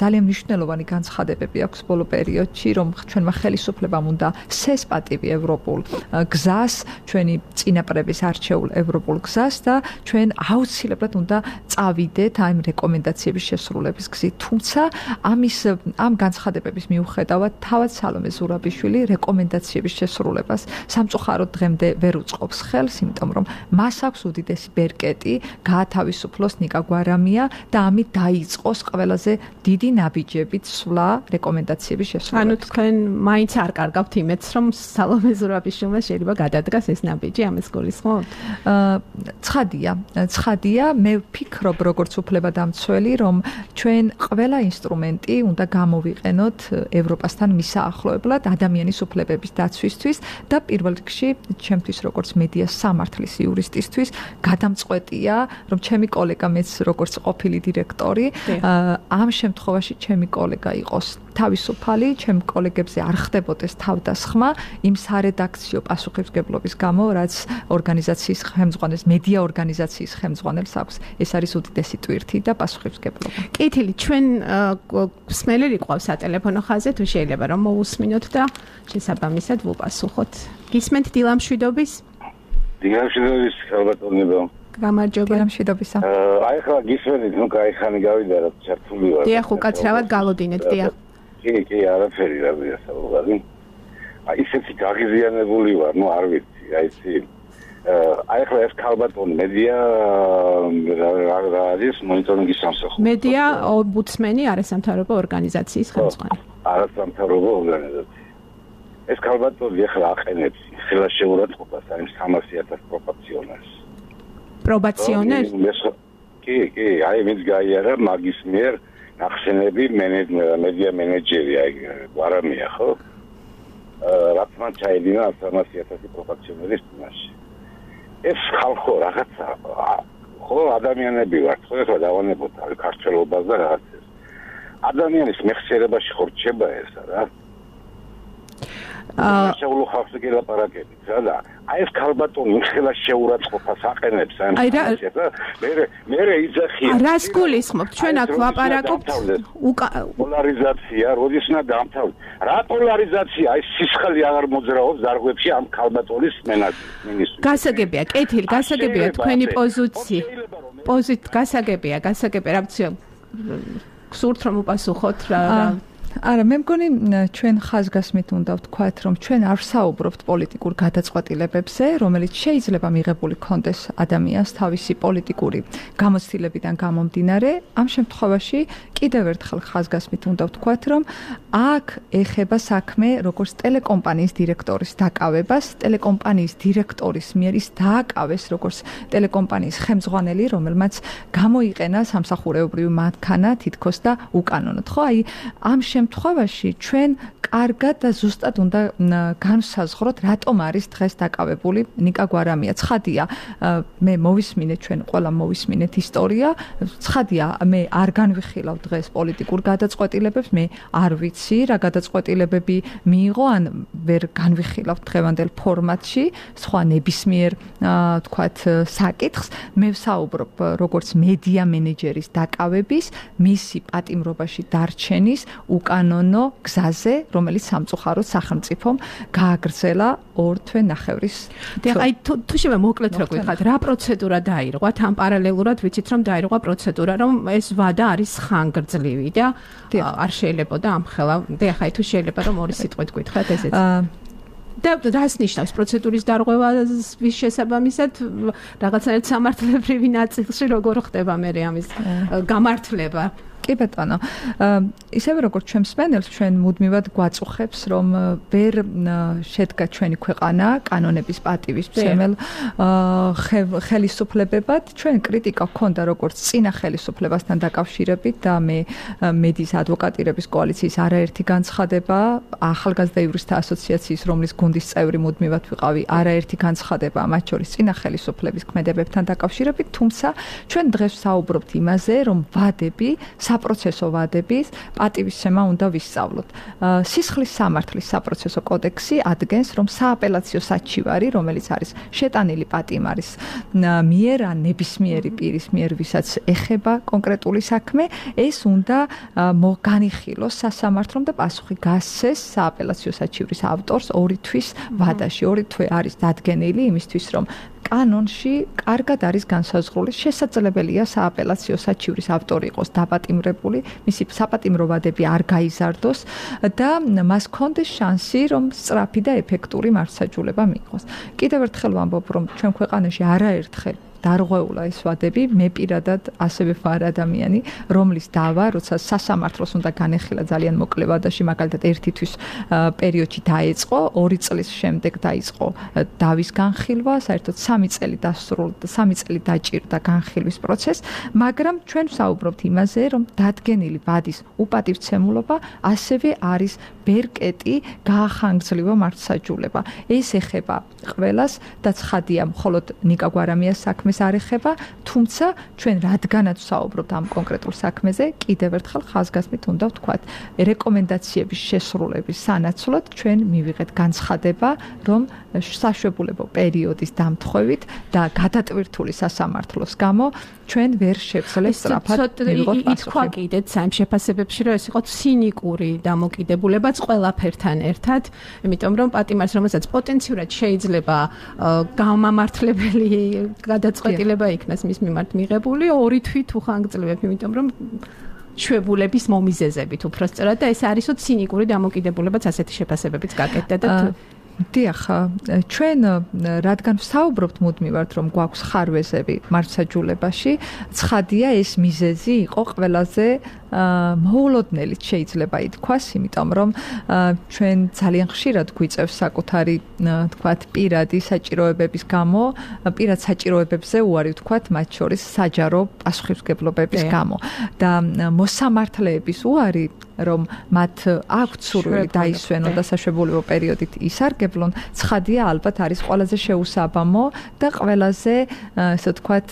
ძალიან მნიშვნელოვანი განცხადებები აქვს ბოლო პერიოდში, რომ ჩვენმა ხელისუფლებამ უნდა სესპატივი ევროპულ გზას, ჩვენი წინაპრების არჩეულ ევროპულ გზას და ჩვენ აუცილებლად უნდა წავიდეთ ამ რეკომენდაციების შესრულების გზით. თუმცა ამ განცხადებების მიუხედავად თავად სალომე ზურაბიშვილი რეკომენდაციების შესრულებას სამწუხაროდ დღემდე ვერ უწყობს ხელს, იმიტომ რომ მას აქვს უდიდესი ბერკეტი გაათავისუფლოს ნიკა გვარამია და ამით დაიწყოს ყველაზე დიდი ნაბიჯებით სვლა რეკომენდაციების შესრულებას. ანუ თქვენ მაინც არ კარგავთ იმედს, რომ სალომე ზურაბიშვილმა შეიძლება გადადგას ეს ნაბიჯი, ამას გულისხმობთ? ცხადია, მე ვფიქრობ როგორც უფლებადამცველი, რომ ჩვენ ყველა ინსტრუმენტი უნდა გამოვიყენოთ ევროპასთან მისაახლოებლად ადამიანის უფლებების დაცვისთვის და პირველ რიგში ჩემთვის როგორც მედიას სამართლის იურისტისთვის გადამწყვეტია, რომ ჩემი კოლეგა მეც როგორც ყოფილი დირექტორი, ამ შემთხვევაში ჩემი კოლეგა იყოს თავისუფალი, ჩემ კოლეგებზე არ ხდებოდეს თავდასხმა იმ სარედაქციო პასუხისმგებლობის გამო, რაც ორგანიზაციის ხელმძღვანელს, მედია ორგანიზაციის ხელმძღვანელს აქვს. ეს არის უდიდესი ტვირთი და პასუხისმგებლობა. კეთილი, ჩვენ მსმენელი ყავს სატელეფონო ხაზზე, თუ შეიძლება რომ მოусმინოთ და შესაბამისად ვუპასუხოთ. გისმენთ დილამშვიდობის? დილამშვიდობის, ალბათონება. გამარჯობა. დილამშვიდობისა. აი ხა გისმენთ, ნუ კაი ხანი გავიდა რა ჩართული ვარ. დიახ, უკაცრავად გალოდინეთ, დიახ. კი, არაფერი რა ვიასაუბრალი. აი ისეთი გაღიზიანებული ვარ, ნუ არ ვიცი, აი ისი აი ხა ეს ქალბატონი მედია რა არის მონიტორინგის სამსახური. მედია ომბუდსმენი არასამთავრობო ორგანიზაციის ხელმძღვანელი. არასამთავრობო ორგანიზაცია. ეს ქალბატონი ახლა აყენებს ხელა შეურაცხყოფას აი 300,000 პროპორციონერს. პრობაციონერს? კი, აი ვინც გაიარა მაგის მიერ ნახსენები მედია მენეჯერი აი გვარამია ხო? რაც მან ჩაედინა 300,000 პროპორციონერის წინაშე. ეს ხალხო რაღაცა ხო ადამიანები ვართ, ხო ეხლა დავანებოთ ქართველობას და რაღაცას. ადამიანის მეხსიერებაში ხო რჩება ესა რა. შეულო ხალხს გელაპარაკებით რა და აი ეს ქალბატონი ხელა შეურაცხყოფას აყენებს ამ situatsiას და მე იძახია რას გულისხმობთ ჩვენ აქ ვაპარაკობთ პოლარიზაცია როდის უნდა დამთავრდეს რა პოლარიზაცია აი სისხალი აღარ მოძრაობს დარღვებში ამ ქალბატონის მინისტრს გასაგებია კეთილი გასაგებია თქვენი პოზიცია გასაგებია რა ვცი გსურთ რომ უპასუხოთ რა არა მე მგონი ჩვენ ხაზგასმით უნდა ვთქვათ რომ ჩვენ არ ვსაუბრობთ პოლიტიკურ გადაწყვეტილებებზე რომელიც შეიძლება მიღებული კონდეს ადამიანს თავისი პოლიტიკური გამოცდილებიდან გამომდინარე ამ შემთხვევაში კიდევ ერთხელ ხაზგასმით უნდა ვთქვათ რომ აქ ეხება საქმე როგორც ტელეკომპანიის დირექტორის დაკავებას ტელეკომპანიის დირექტორის მიერ ის დააკავეს როგორც ტელეკომპანიის ხელმძღვანელი რომელმაც გამოიყენა სამსახურეობრივი მანქანა თითქოს და უკანონოდ ხო აი ამ შემთხვევაში ჩვენ კარგად და ზუსტად უნდა განსაზღვროთ რატომ არის დღეს დაკავებული ნიკა გვარამია. ცხადია, მე მოვისმინეთ ჩვენ ყველა მოვისმინეთ ისტორია. ცხადია, მე არ განვიხილავ დღეს პოლიტიკურ გადაწყვეტილებებს, მე არ ვიცი რა გადაწყვეტილებები მიიღო, ან ვერ განვიხილავ დღევანდელ ფორმატში სხვა ნებისმიერ თქვათ საკითხს. მე ვსაუბრობ როგორც მედია მენეჯერის დაკავების, მისი პატიმრობაში დარჩენის უკანონო გზაზე, რომელიც სამწუხაროდ სახელმწიფომ გააგრძელა 2 თვე ნახევრის. აი თუ შეიძლება მოკლედ რა გითხათ, რა პროცედურა დაირღვა, თან პარალელურად ვიცით რომ დაირღვა პროცედურა, რომ ეს ვადა არის ხანგრძლივი და არ შეიძლებოდა ამხელა. ახლა თუ შეიძლება რომ ორი სიტყვით გითხრათ ესეც. და რას ნიშნავს პროცედურის დარღვევას ვის შესაბამისად რაღაცნაირად სამართლებრივი ნაწილში როგორ ხდება მე ამის გამართლება? კი ბატონო, ისევე როგორც ჩვენ მსმენელს, ჩვენ მუდმივად გვაწუხებს, რომ ვერ შედგა ჩვენი ქვეყანა კანონების პატივისმცემელ ხელისუფლებებად. ჩვენ კრიტიკა ჰქონდა როგორც წინა ხელისუფლებასთან დაკავშირებით და მე მედიის ადვოკატირების კოალიციის არაერთი განცხადება, ახალგაზრდა იურისტთა ასოციაციის, რომლის გუნდის წევრი მუდმივად ვიყავი, არაერთი განცხადება, მათ შორის წინა ხელისუფლების ქმედებებთან დაკავშირებით, თუმცა ჩვენ დღეს ვსაუბრობთ იმაზე, რომ ვადები საპროცესო ვადების პატივისცემა უნდა ვისწავლოთ. სისხლის სამართლის საპროცესო კოდექსი ადგენს, რომ სააპელაციო საჩივარი, რომელიც არის შეტანილი პატიმარის მიერ ან ნებისმიერი პირის მიერ, ვისაც ეხება კონკრეტული საქმე, ეს უნდა განიხილოს სასამართლომ და პასუხი გასცეს სააპელაციო საჩივრის ავტორს 2 თვის ვადაში. 2 თვე არის დადგენილი იმისთვის, რომ კანონში კარგად არის განსაზღვრული შესაძლებელია სააპელაციო საჩივრის ავტორი იყოს დაპატიმრებული, მისი საპატიმრო ვადები არ გაიზარდოს და მას ჰქონდეს შანსი, რომ სწრაფი და ეფექტური მართლმსაჯულება მიიღოს. კიდევ ერთხელ ვამბობ, რომ ჩვენ ქვეყანაში არაერთხელ დარღვეულა ეს ვადები, მე პირადად ასევე ვარ ადამიანი, რომლის დავა, როცა სასამართლოს უნდა განეხილა ძალიან მოკლე ვადაში, მაგალითად 1 თვის პერიოდში დაეწყო, 2 წლის შემდეგ დაიწყო დავის განხილვა, საერთოდ 3 წელი დასრულდა, 3 წელი დაჭირდა განხილვის პროცესს, მაგრამ ჩვენ ვსაუბრობთ იმაზე, რომ დადგენილი ვადის უპატივცემულობა ასევე არის ბერკეტი გაახანგრძლივა მართლმსაჯულება. ეს ეხება ყველას და ცხადია, მხოლოდ ნიკა გვარამიას საქმეს არ ეხება, თუმცა ჩვენ რადგანაც ვსაუბრობთ ამ კონკრეტულ საქმეზე, კიდევ ერთხელ ხაზგასმით უნდა ვთქვათ, რეკომენდაციების შესრულების სანაცვლოდ ჩვენ მივიღეთ განცხადება, რომ საშვებულებო პერიოდის დამთხვევით და გადატვირთული სასამართლოს გამო ჩვენ ვერ შევძლებ სწრაფად მივიღოთ პასუხი. ითქვა კიდეც ამ შეფასებებში, რომ ეს იყო ცინიკური დამოკიდებულებაც ყველაფერთან ერთად, იმიტომ რომ პატიმარს, რომელსაც პოტენციურად შეიძლება გამამართლებელი გადაწყვეტილება იქნას მის მიმართ მიღებული, 2 თვით უხანგრძლივებ, იმიტომ რომ შვებულების მომიზეზებით უბრალოდ და ეს არისო ცინიკური დამოკიდებულებაც ასეთი შეფასებებიც გაკეთდა და დიახ, ჩვენ რადგან ვსაუბრობთ მუდმივად, რომ გვაქვს ხარვეზები მართლმსაჯულებაში, ცხადია ეს მიზეზი იყო ყველაზე მოულოდნელიც შეიძლება ითქვას, იმიტომ რომ ჩვენ ძალიან ხშირად გვიწევს საკუთარი თქვათ პირადი საჭიროებების გამო, პირად საჭიროებებზე უარი ვთქვათ, მათ შორის საჯარო პასუხისმგებლობების გამო და მოსამართლეების უარი რომ მათ აქვთ სურვილი დაისვენონ და საშვებულო პერიოდით ისარგებლონ, ცხადია ალბათ არის ყველაზე შეუსაბამო და ყველაზე ესე ვთქვათ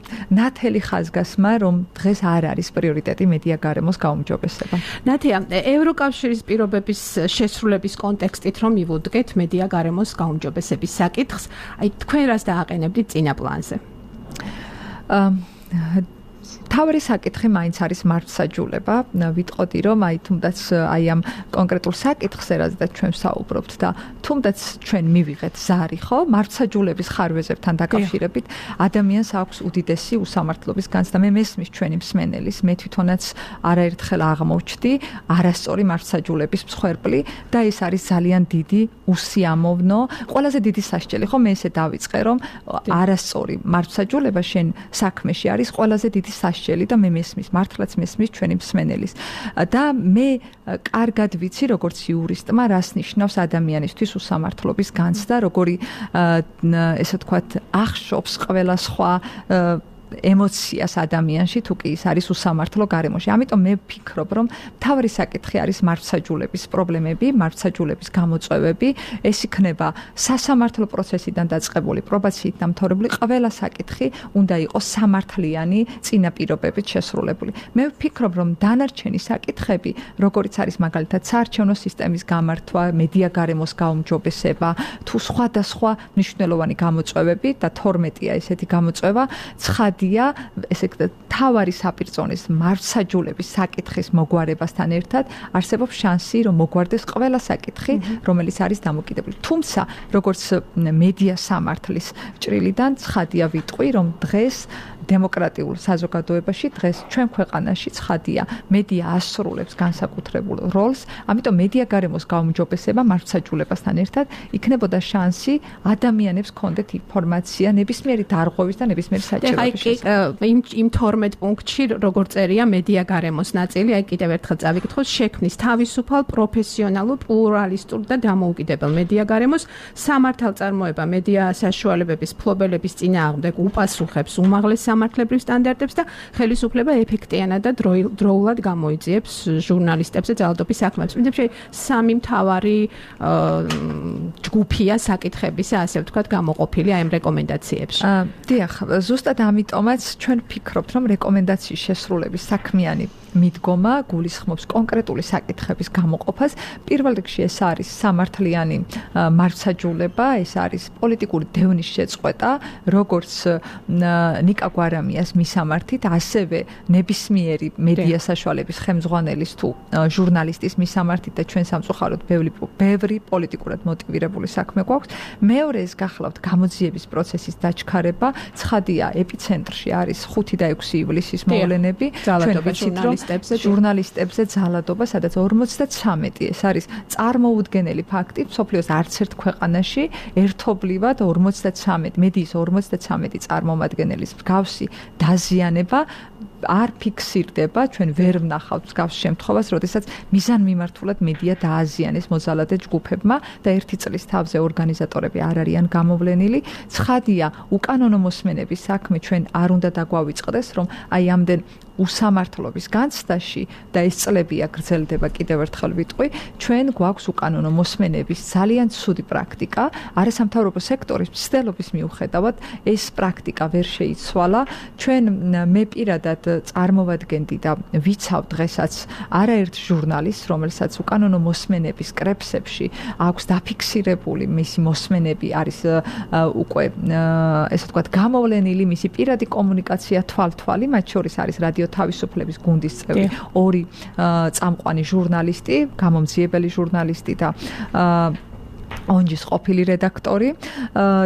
ნათელი ხაზგასმა, რომ დღეს არ არის პრიორიტეტი მედია გარემოს გაუმჯობესება. ნათია, ევროკავშირის პირობების შესრულების კონტექსტით რომ მივუდგეთ მედია გარემოს გაუმჯობესების საკითხს, აი თქვენ რას დააყენებდით წინა პლანზე? თავი საკითხი მაინც არის მართლსაჯულება. ვიტყოდი რომ აი თუნდაც აი ამ კონკრეტულ საკითხზე რაზეც ჩვენ ვსაუბრობთ და თუნდაც ჩვენ მივიღეთ ზარი, ხო, მართლსაჯულების ხარვეზებთან დაკავშირებით ადამიანს აქვს უდიდესი უსამართლობის განცდა. მე მესმის ჩვენი მსმენელის, მე თვითონაც არაერთხელ აღმოჩნდი არასწორი მართლსაჯულების მსხვერპლი და ეს არის ძალიან დიდი უსიამოვნო, ყველაზე დიდი სასჯელი, ხო, მე ესე დავიწყე რომ არასწორი მართლსაჯულება შენ საქმეში არის ყველაზე დიდი სასჯელი და მე მესმის, მართლაც მესმის ჩვენი მსმენელის. და მე კარგად ვიცი, როგორც იურისტმა, რას ნიშნავს ადამიანისთვის უსამართლობის განცდა, როგორი ესე ვთქვათ, ახშობს ყველა სხვა ემოციას ადამიანში თუ კი ის არის უსამართლო გარემოში. ამიტომ მე ვფიქრობ, რომ მთავარი საკითხი არის მართლსაჯულების პრობლემები, მართლსაჯულების გამოწვევები, ეს იქნება სასამართლო პროცესიდან დაწყებული, პრობაციით დამთავრებული, ყველა საკითხი უნდა იყოს სამართლიანი წინაპირობებით შესრულებული. მე ვფიქრობ, რომ დანარჩენი საკითხები, როგორიც არის მაგალითად საარჩევნო სისტემის გამართვა, მედია გარემოს გაუმჯობესება, თუ სხვადასხვა მნიშვნელოვანი გამოწვევები და 12-ია ესეთი გამოწვევა, ესე თავარი საპირწონის მართლსაჯულების საკითხის მოგვარებასთან ერთად არსებობს შანსი, რომ მოგვარდეს ყველა საკითხი, რომელიც არის დამოკიდებული. თუმცა, როგორც მედია სამართლის ჭრილიდან ცხადია ვიტყვი, რომ დღეს დემოკრატიულ საზოგადოებაში დღეს ჩვენ ქვეყანაში ცხადია მედია ასრულებს განსაკუთრებულ როლს, ამიტომ მედია გარემოს გაუმჯობესება მართლსაჯულებასთან ერთად იქნებოდა შანსი ადამიანებს კონდეთ ინფორმაცია ნებისმიერი დარღვევის და ნებისმიერი საჭიროების შესახებ. იმ 12 პუნქტში როგორ წერია მედია გარემოს ნაწილი, აი კიდევ ერთხელ წავიკითხოთ, შექმნის თავისუფალ, პროფესიონალურ, პლურალისტურ და დამოუკიდებელ მედია გარემოს, სამართალწარმოება მედია საშუალებების ფლობელების წინააღმდეგ უპასუხებს უმაღლეს სამართლებრივ სტანდარტებს და ხელისუფლება ეფექტიანად და დროულად გამოიძიებს ჟურნალისტებზე ძალადობის საქმეებს. მითხრა სამი მთავარი ჯგუფია საკითხებისა, ასე ვთქვათ, გამოყოფილი აი ამ რეკომენდაციებში. დიახ, ზუსტად ამიტომაც ჩვენ ვფიქრობთ, რომ რეკომენდაციის შესრულების საქმიანი მიდგომა გულისხმობს კონკრეტული საკითხების გამოყოფას. პირველ რიგში ეს არის სამართლიანი მართლსაჯულება, ეს არის პოლიტიკური დევნის შეწყვეტა, როგორც ნიკა გვარამიას მისამართით, ასევე ნებისმიერი მედია საშუალების ხელმძღვანელის თუ ჟურნალისტის მისამართით და ჩვენ სამწუხაროდ ბევრი პოლიტიკურად მოტივირებული საქმე გვაქვს. მეორე ეს გახლავთ გამოძიების პროცესის დაჩქარება, ცხადია ეპიცენტრში არის 5 და 6 ივლისის მოვლენები, ჩვენ ვიცით რომ ჟურნალისტებზე ძალადობა, სადაც 53 ეს არის წარმოუდგენელი ფაქტი, მსოფლიოს არც ერთ ქვეყანაში ერთობლივად 53 მედიის 53 წარმომადგენლის მსგავსი დაზიანება არ ფიქსირდება, ჩვენ ვერ ვნახავთ მსგავს შემთხვევას, როდესაც მიზანმიმართულად მედია დააზიანეს მოძალადე ჯგუფებმა და ერთი წლის თავზე ორგანიზატორები არ არიან გამოვლენილი. ცხადია, უკანონო მოსმენების საქმე ჩვენ არ უნდა დაგვავიწყდეს, რომ აი ამდენ უსამართლობის განცდაში და ეს წლებია გრძელდება კიდევ ერთხელ ვიტყვი, ჩვენ გვაქვს უკანონო მოსმენების ძალიან ცუდი პრაქტიკა, არასამთავრობო სექტორის მცდელობის მიუხედავად ეს პრაქტიკა ვერ შეიცვალა. ჩვენ მე პირადად წარმოვადგენდი და ვიცავ დღესაც არაერთ ჟურნალისტს, რომელსაც უკანონო მოსმენების კრებსებში აქვს დაფიქსირებული მისი მოსმენები არის უკვე ესე ვთქვათ გამოვლენილი, მისი პირადი კომუნიკაცია თვალთვალი, მათ შორის არის რადიო თავისუფლების გუნდის წევრი, 2 წამყვანი ჟურნალისტი, გამომძიებელი ჟურნალისტი და ონჯის ყოფილი რედაქტორი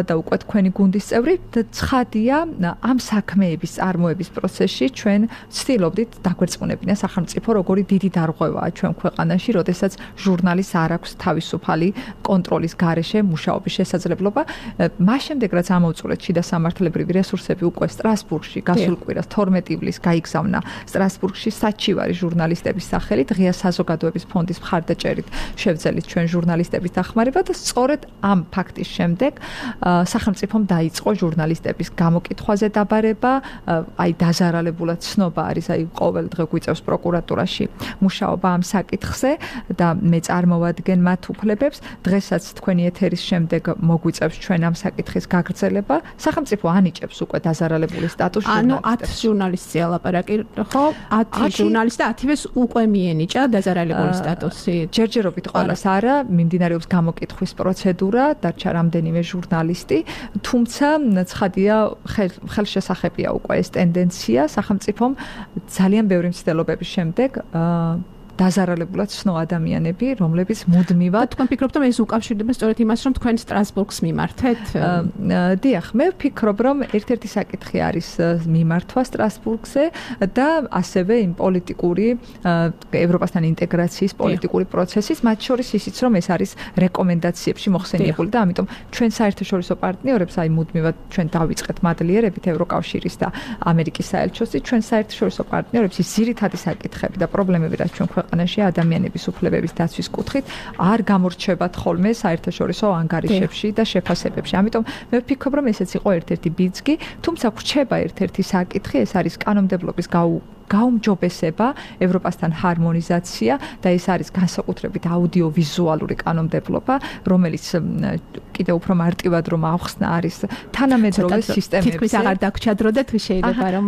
და უკვე თქვენი გუნდის წევრი და ცხადია ამ საქმეების წარმოების პროცესში ჩვენ ვცდილობდით დაგვერწყმუნებინა სახელმწიფო როგორი დიდი დარღვევაა ჩვენ ქვეყანაში, როდესაც ჟურნალისტს არ აქვს თავისუფალი კონტროლის გარეშე მუშაობის შესაძლებლობა. მას შემდეგ რაც ამოვწურეთ შიდა სამართლებრივი რესურსები უკვე სტრასბურგში გასულ კვირას 12 ივლისს გაიგზავნა სტრასბურგში საჩივარი ჟურნალისტების სახელით ღია საზოგადოების ფონდის მხარდაჭერით შევძელით ჩვენ ჟურნალისტების დახმარება და სწორედ ამ ფაქტის შემდეგ სახელმწიფომ დაიწყო ჟურნალისტების გამოკითხვაზე დაბარება, აი დაზარალებულად ცნობა არის, აი ყოველ დღე გვიწევს პროკურატურაში მუშაობა ამ საკითხზე და მე წარმოვადგენ მათ უფლებებს. დღესაც თქვენი ეთერის შემდეგ მოგვიწევს ჩვენ ამ საკითხის გაგრძელება. სახელმწიფო ანიჭებს უკვე დაზარალებული სტატუსს ჟურნალისტებს. ანუ 10 ჟურნალისტზე ალაპარაკი, ხო? 10 ჟურნალისტი და 10-ს უკვე მიენიჭა დაზარალებული სტატუსი. ჯერჯერობით ყველას არა, მიმდინარეობს გამოკითხვის პროცედურა, დარჩა რამდენიმე ჟურნალისტი, თუმცა ცხადია ხელშესახებია უკვე ეს ტენდენცია სახელმწიფომ ძალიან ბევრი მცდელობების შემდეგ დაზარალებულად ცნო ადამიანები, რომლებიც მუდმივად თქვენ ფიქრობთ რომ ეს უკავშირდება სწორედ იმას, რომ თქვენ სტრასბურგს მიმართეთ? დიახ, მე ვფიქრობ, რომ ერთ-ერთი საკითხი არის მიმართვა სტრასბურგზე და ასევე იმ პოლიტიკური ევროპასთან ინტეგრაციის პოლიტიკური პროცესის, მათ შორის ისიც, რომ ეს არის რეკომენდაციებში მოხსენიებული და ამიტომ ჩვენ საერთაშორისო პარტნიორებს, აი მუდმივად ჩვენ დავიწყეთ მადლიერებით ევროკავშირის და ამერიკის საელჩოსით, ჩვენ საერთაშორისო პარტნიორებს ის ძირითადი საკითხები და პრობლემები, რაც ჩვენ ქვეყანაში ადამიანების უფლებების დაცვის კუთხით არ გამორჩებათ ხოლმე საერთაშორისო ანგარიშებში და შეფასებებში. ამიტომ მე ვფიქრობ, რომ ესეც იყო ერთ-ერთი ბიძგი, თუმცა გვრჩება ერთ-ერთი საკითხი, ეს არის კანონმდებლობის გაუმჯობესება, ევროპასთან ჰარმონიზაცია და ეს არის განსაკუთრებით აუდიოვიზუალური კანონმდებლობა, რომელიც კიდევ უფრო მარტივად რომ ავხსნა არის თანამედროვე სისტემებზე. თითქმის აღარ დაგჩადროდეთ, შეიძლება რომ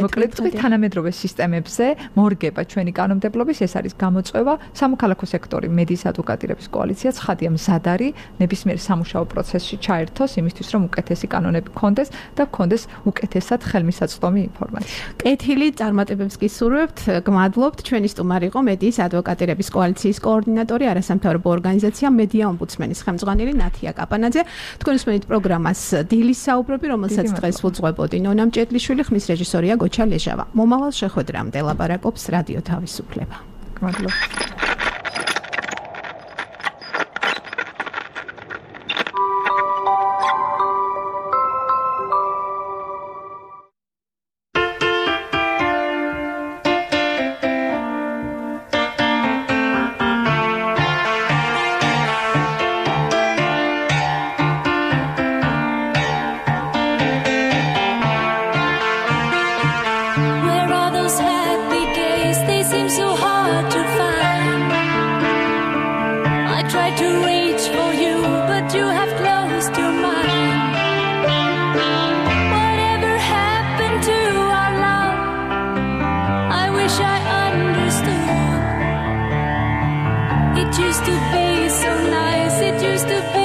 მოკლედ თანამედროვე სისტემებზე მორგება ჩვენი კანონმდებლობის, ეს არის გამოწვევა. სამოქალაქო სექტორი მედიის ადვოკატირების კოალიცია ცხადია მზად არის ნებისმიერ სამუშაო პროცესში ჩაერთოს იმისთვის, რომ უკეთესი კანონები გქონდეს და გქონდეს უკეთესად ხელმისაწვდომი ინფორმაცია. კეთილი წარმატებებს გისურვებთ, გმადლობთ. ჩვენი სტუმარი იყო მედიის ადვოკატირების კოალიციის კოორდინატორი, არასამთავრობო ორგანიზაცია მედია ომბუდსმენის ხელმძღვანელი ნათია კაპანაძე. თქვენ უსმენთ პროგრამას დილის საუბრები, რომელსაც დღეს უძღვებოდი ნონა მჭედლიშვილი, ხმის რეჟისორია გოჩა ლეჟავა. მომავალ შეხვედრამდე ლაპარაკობს რადიო თავისუფლება. გმადლობთ. It used to be so nice, it used to be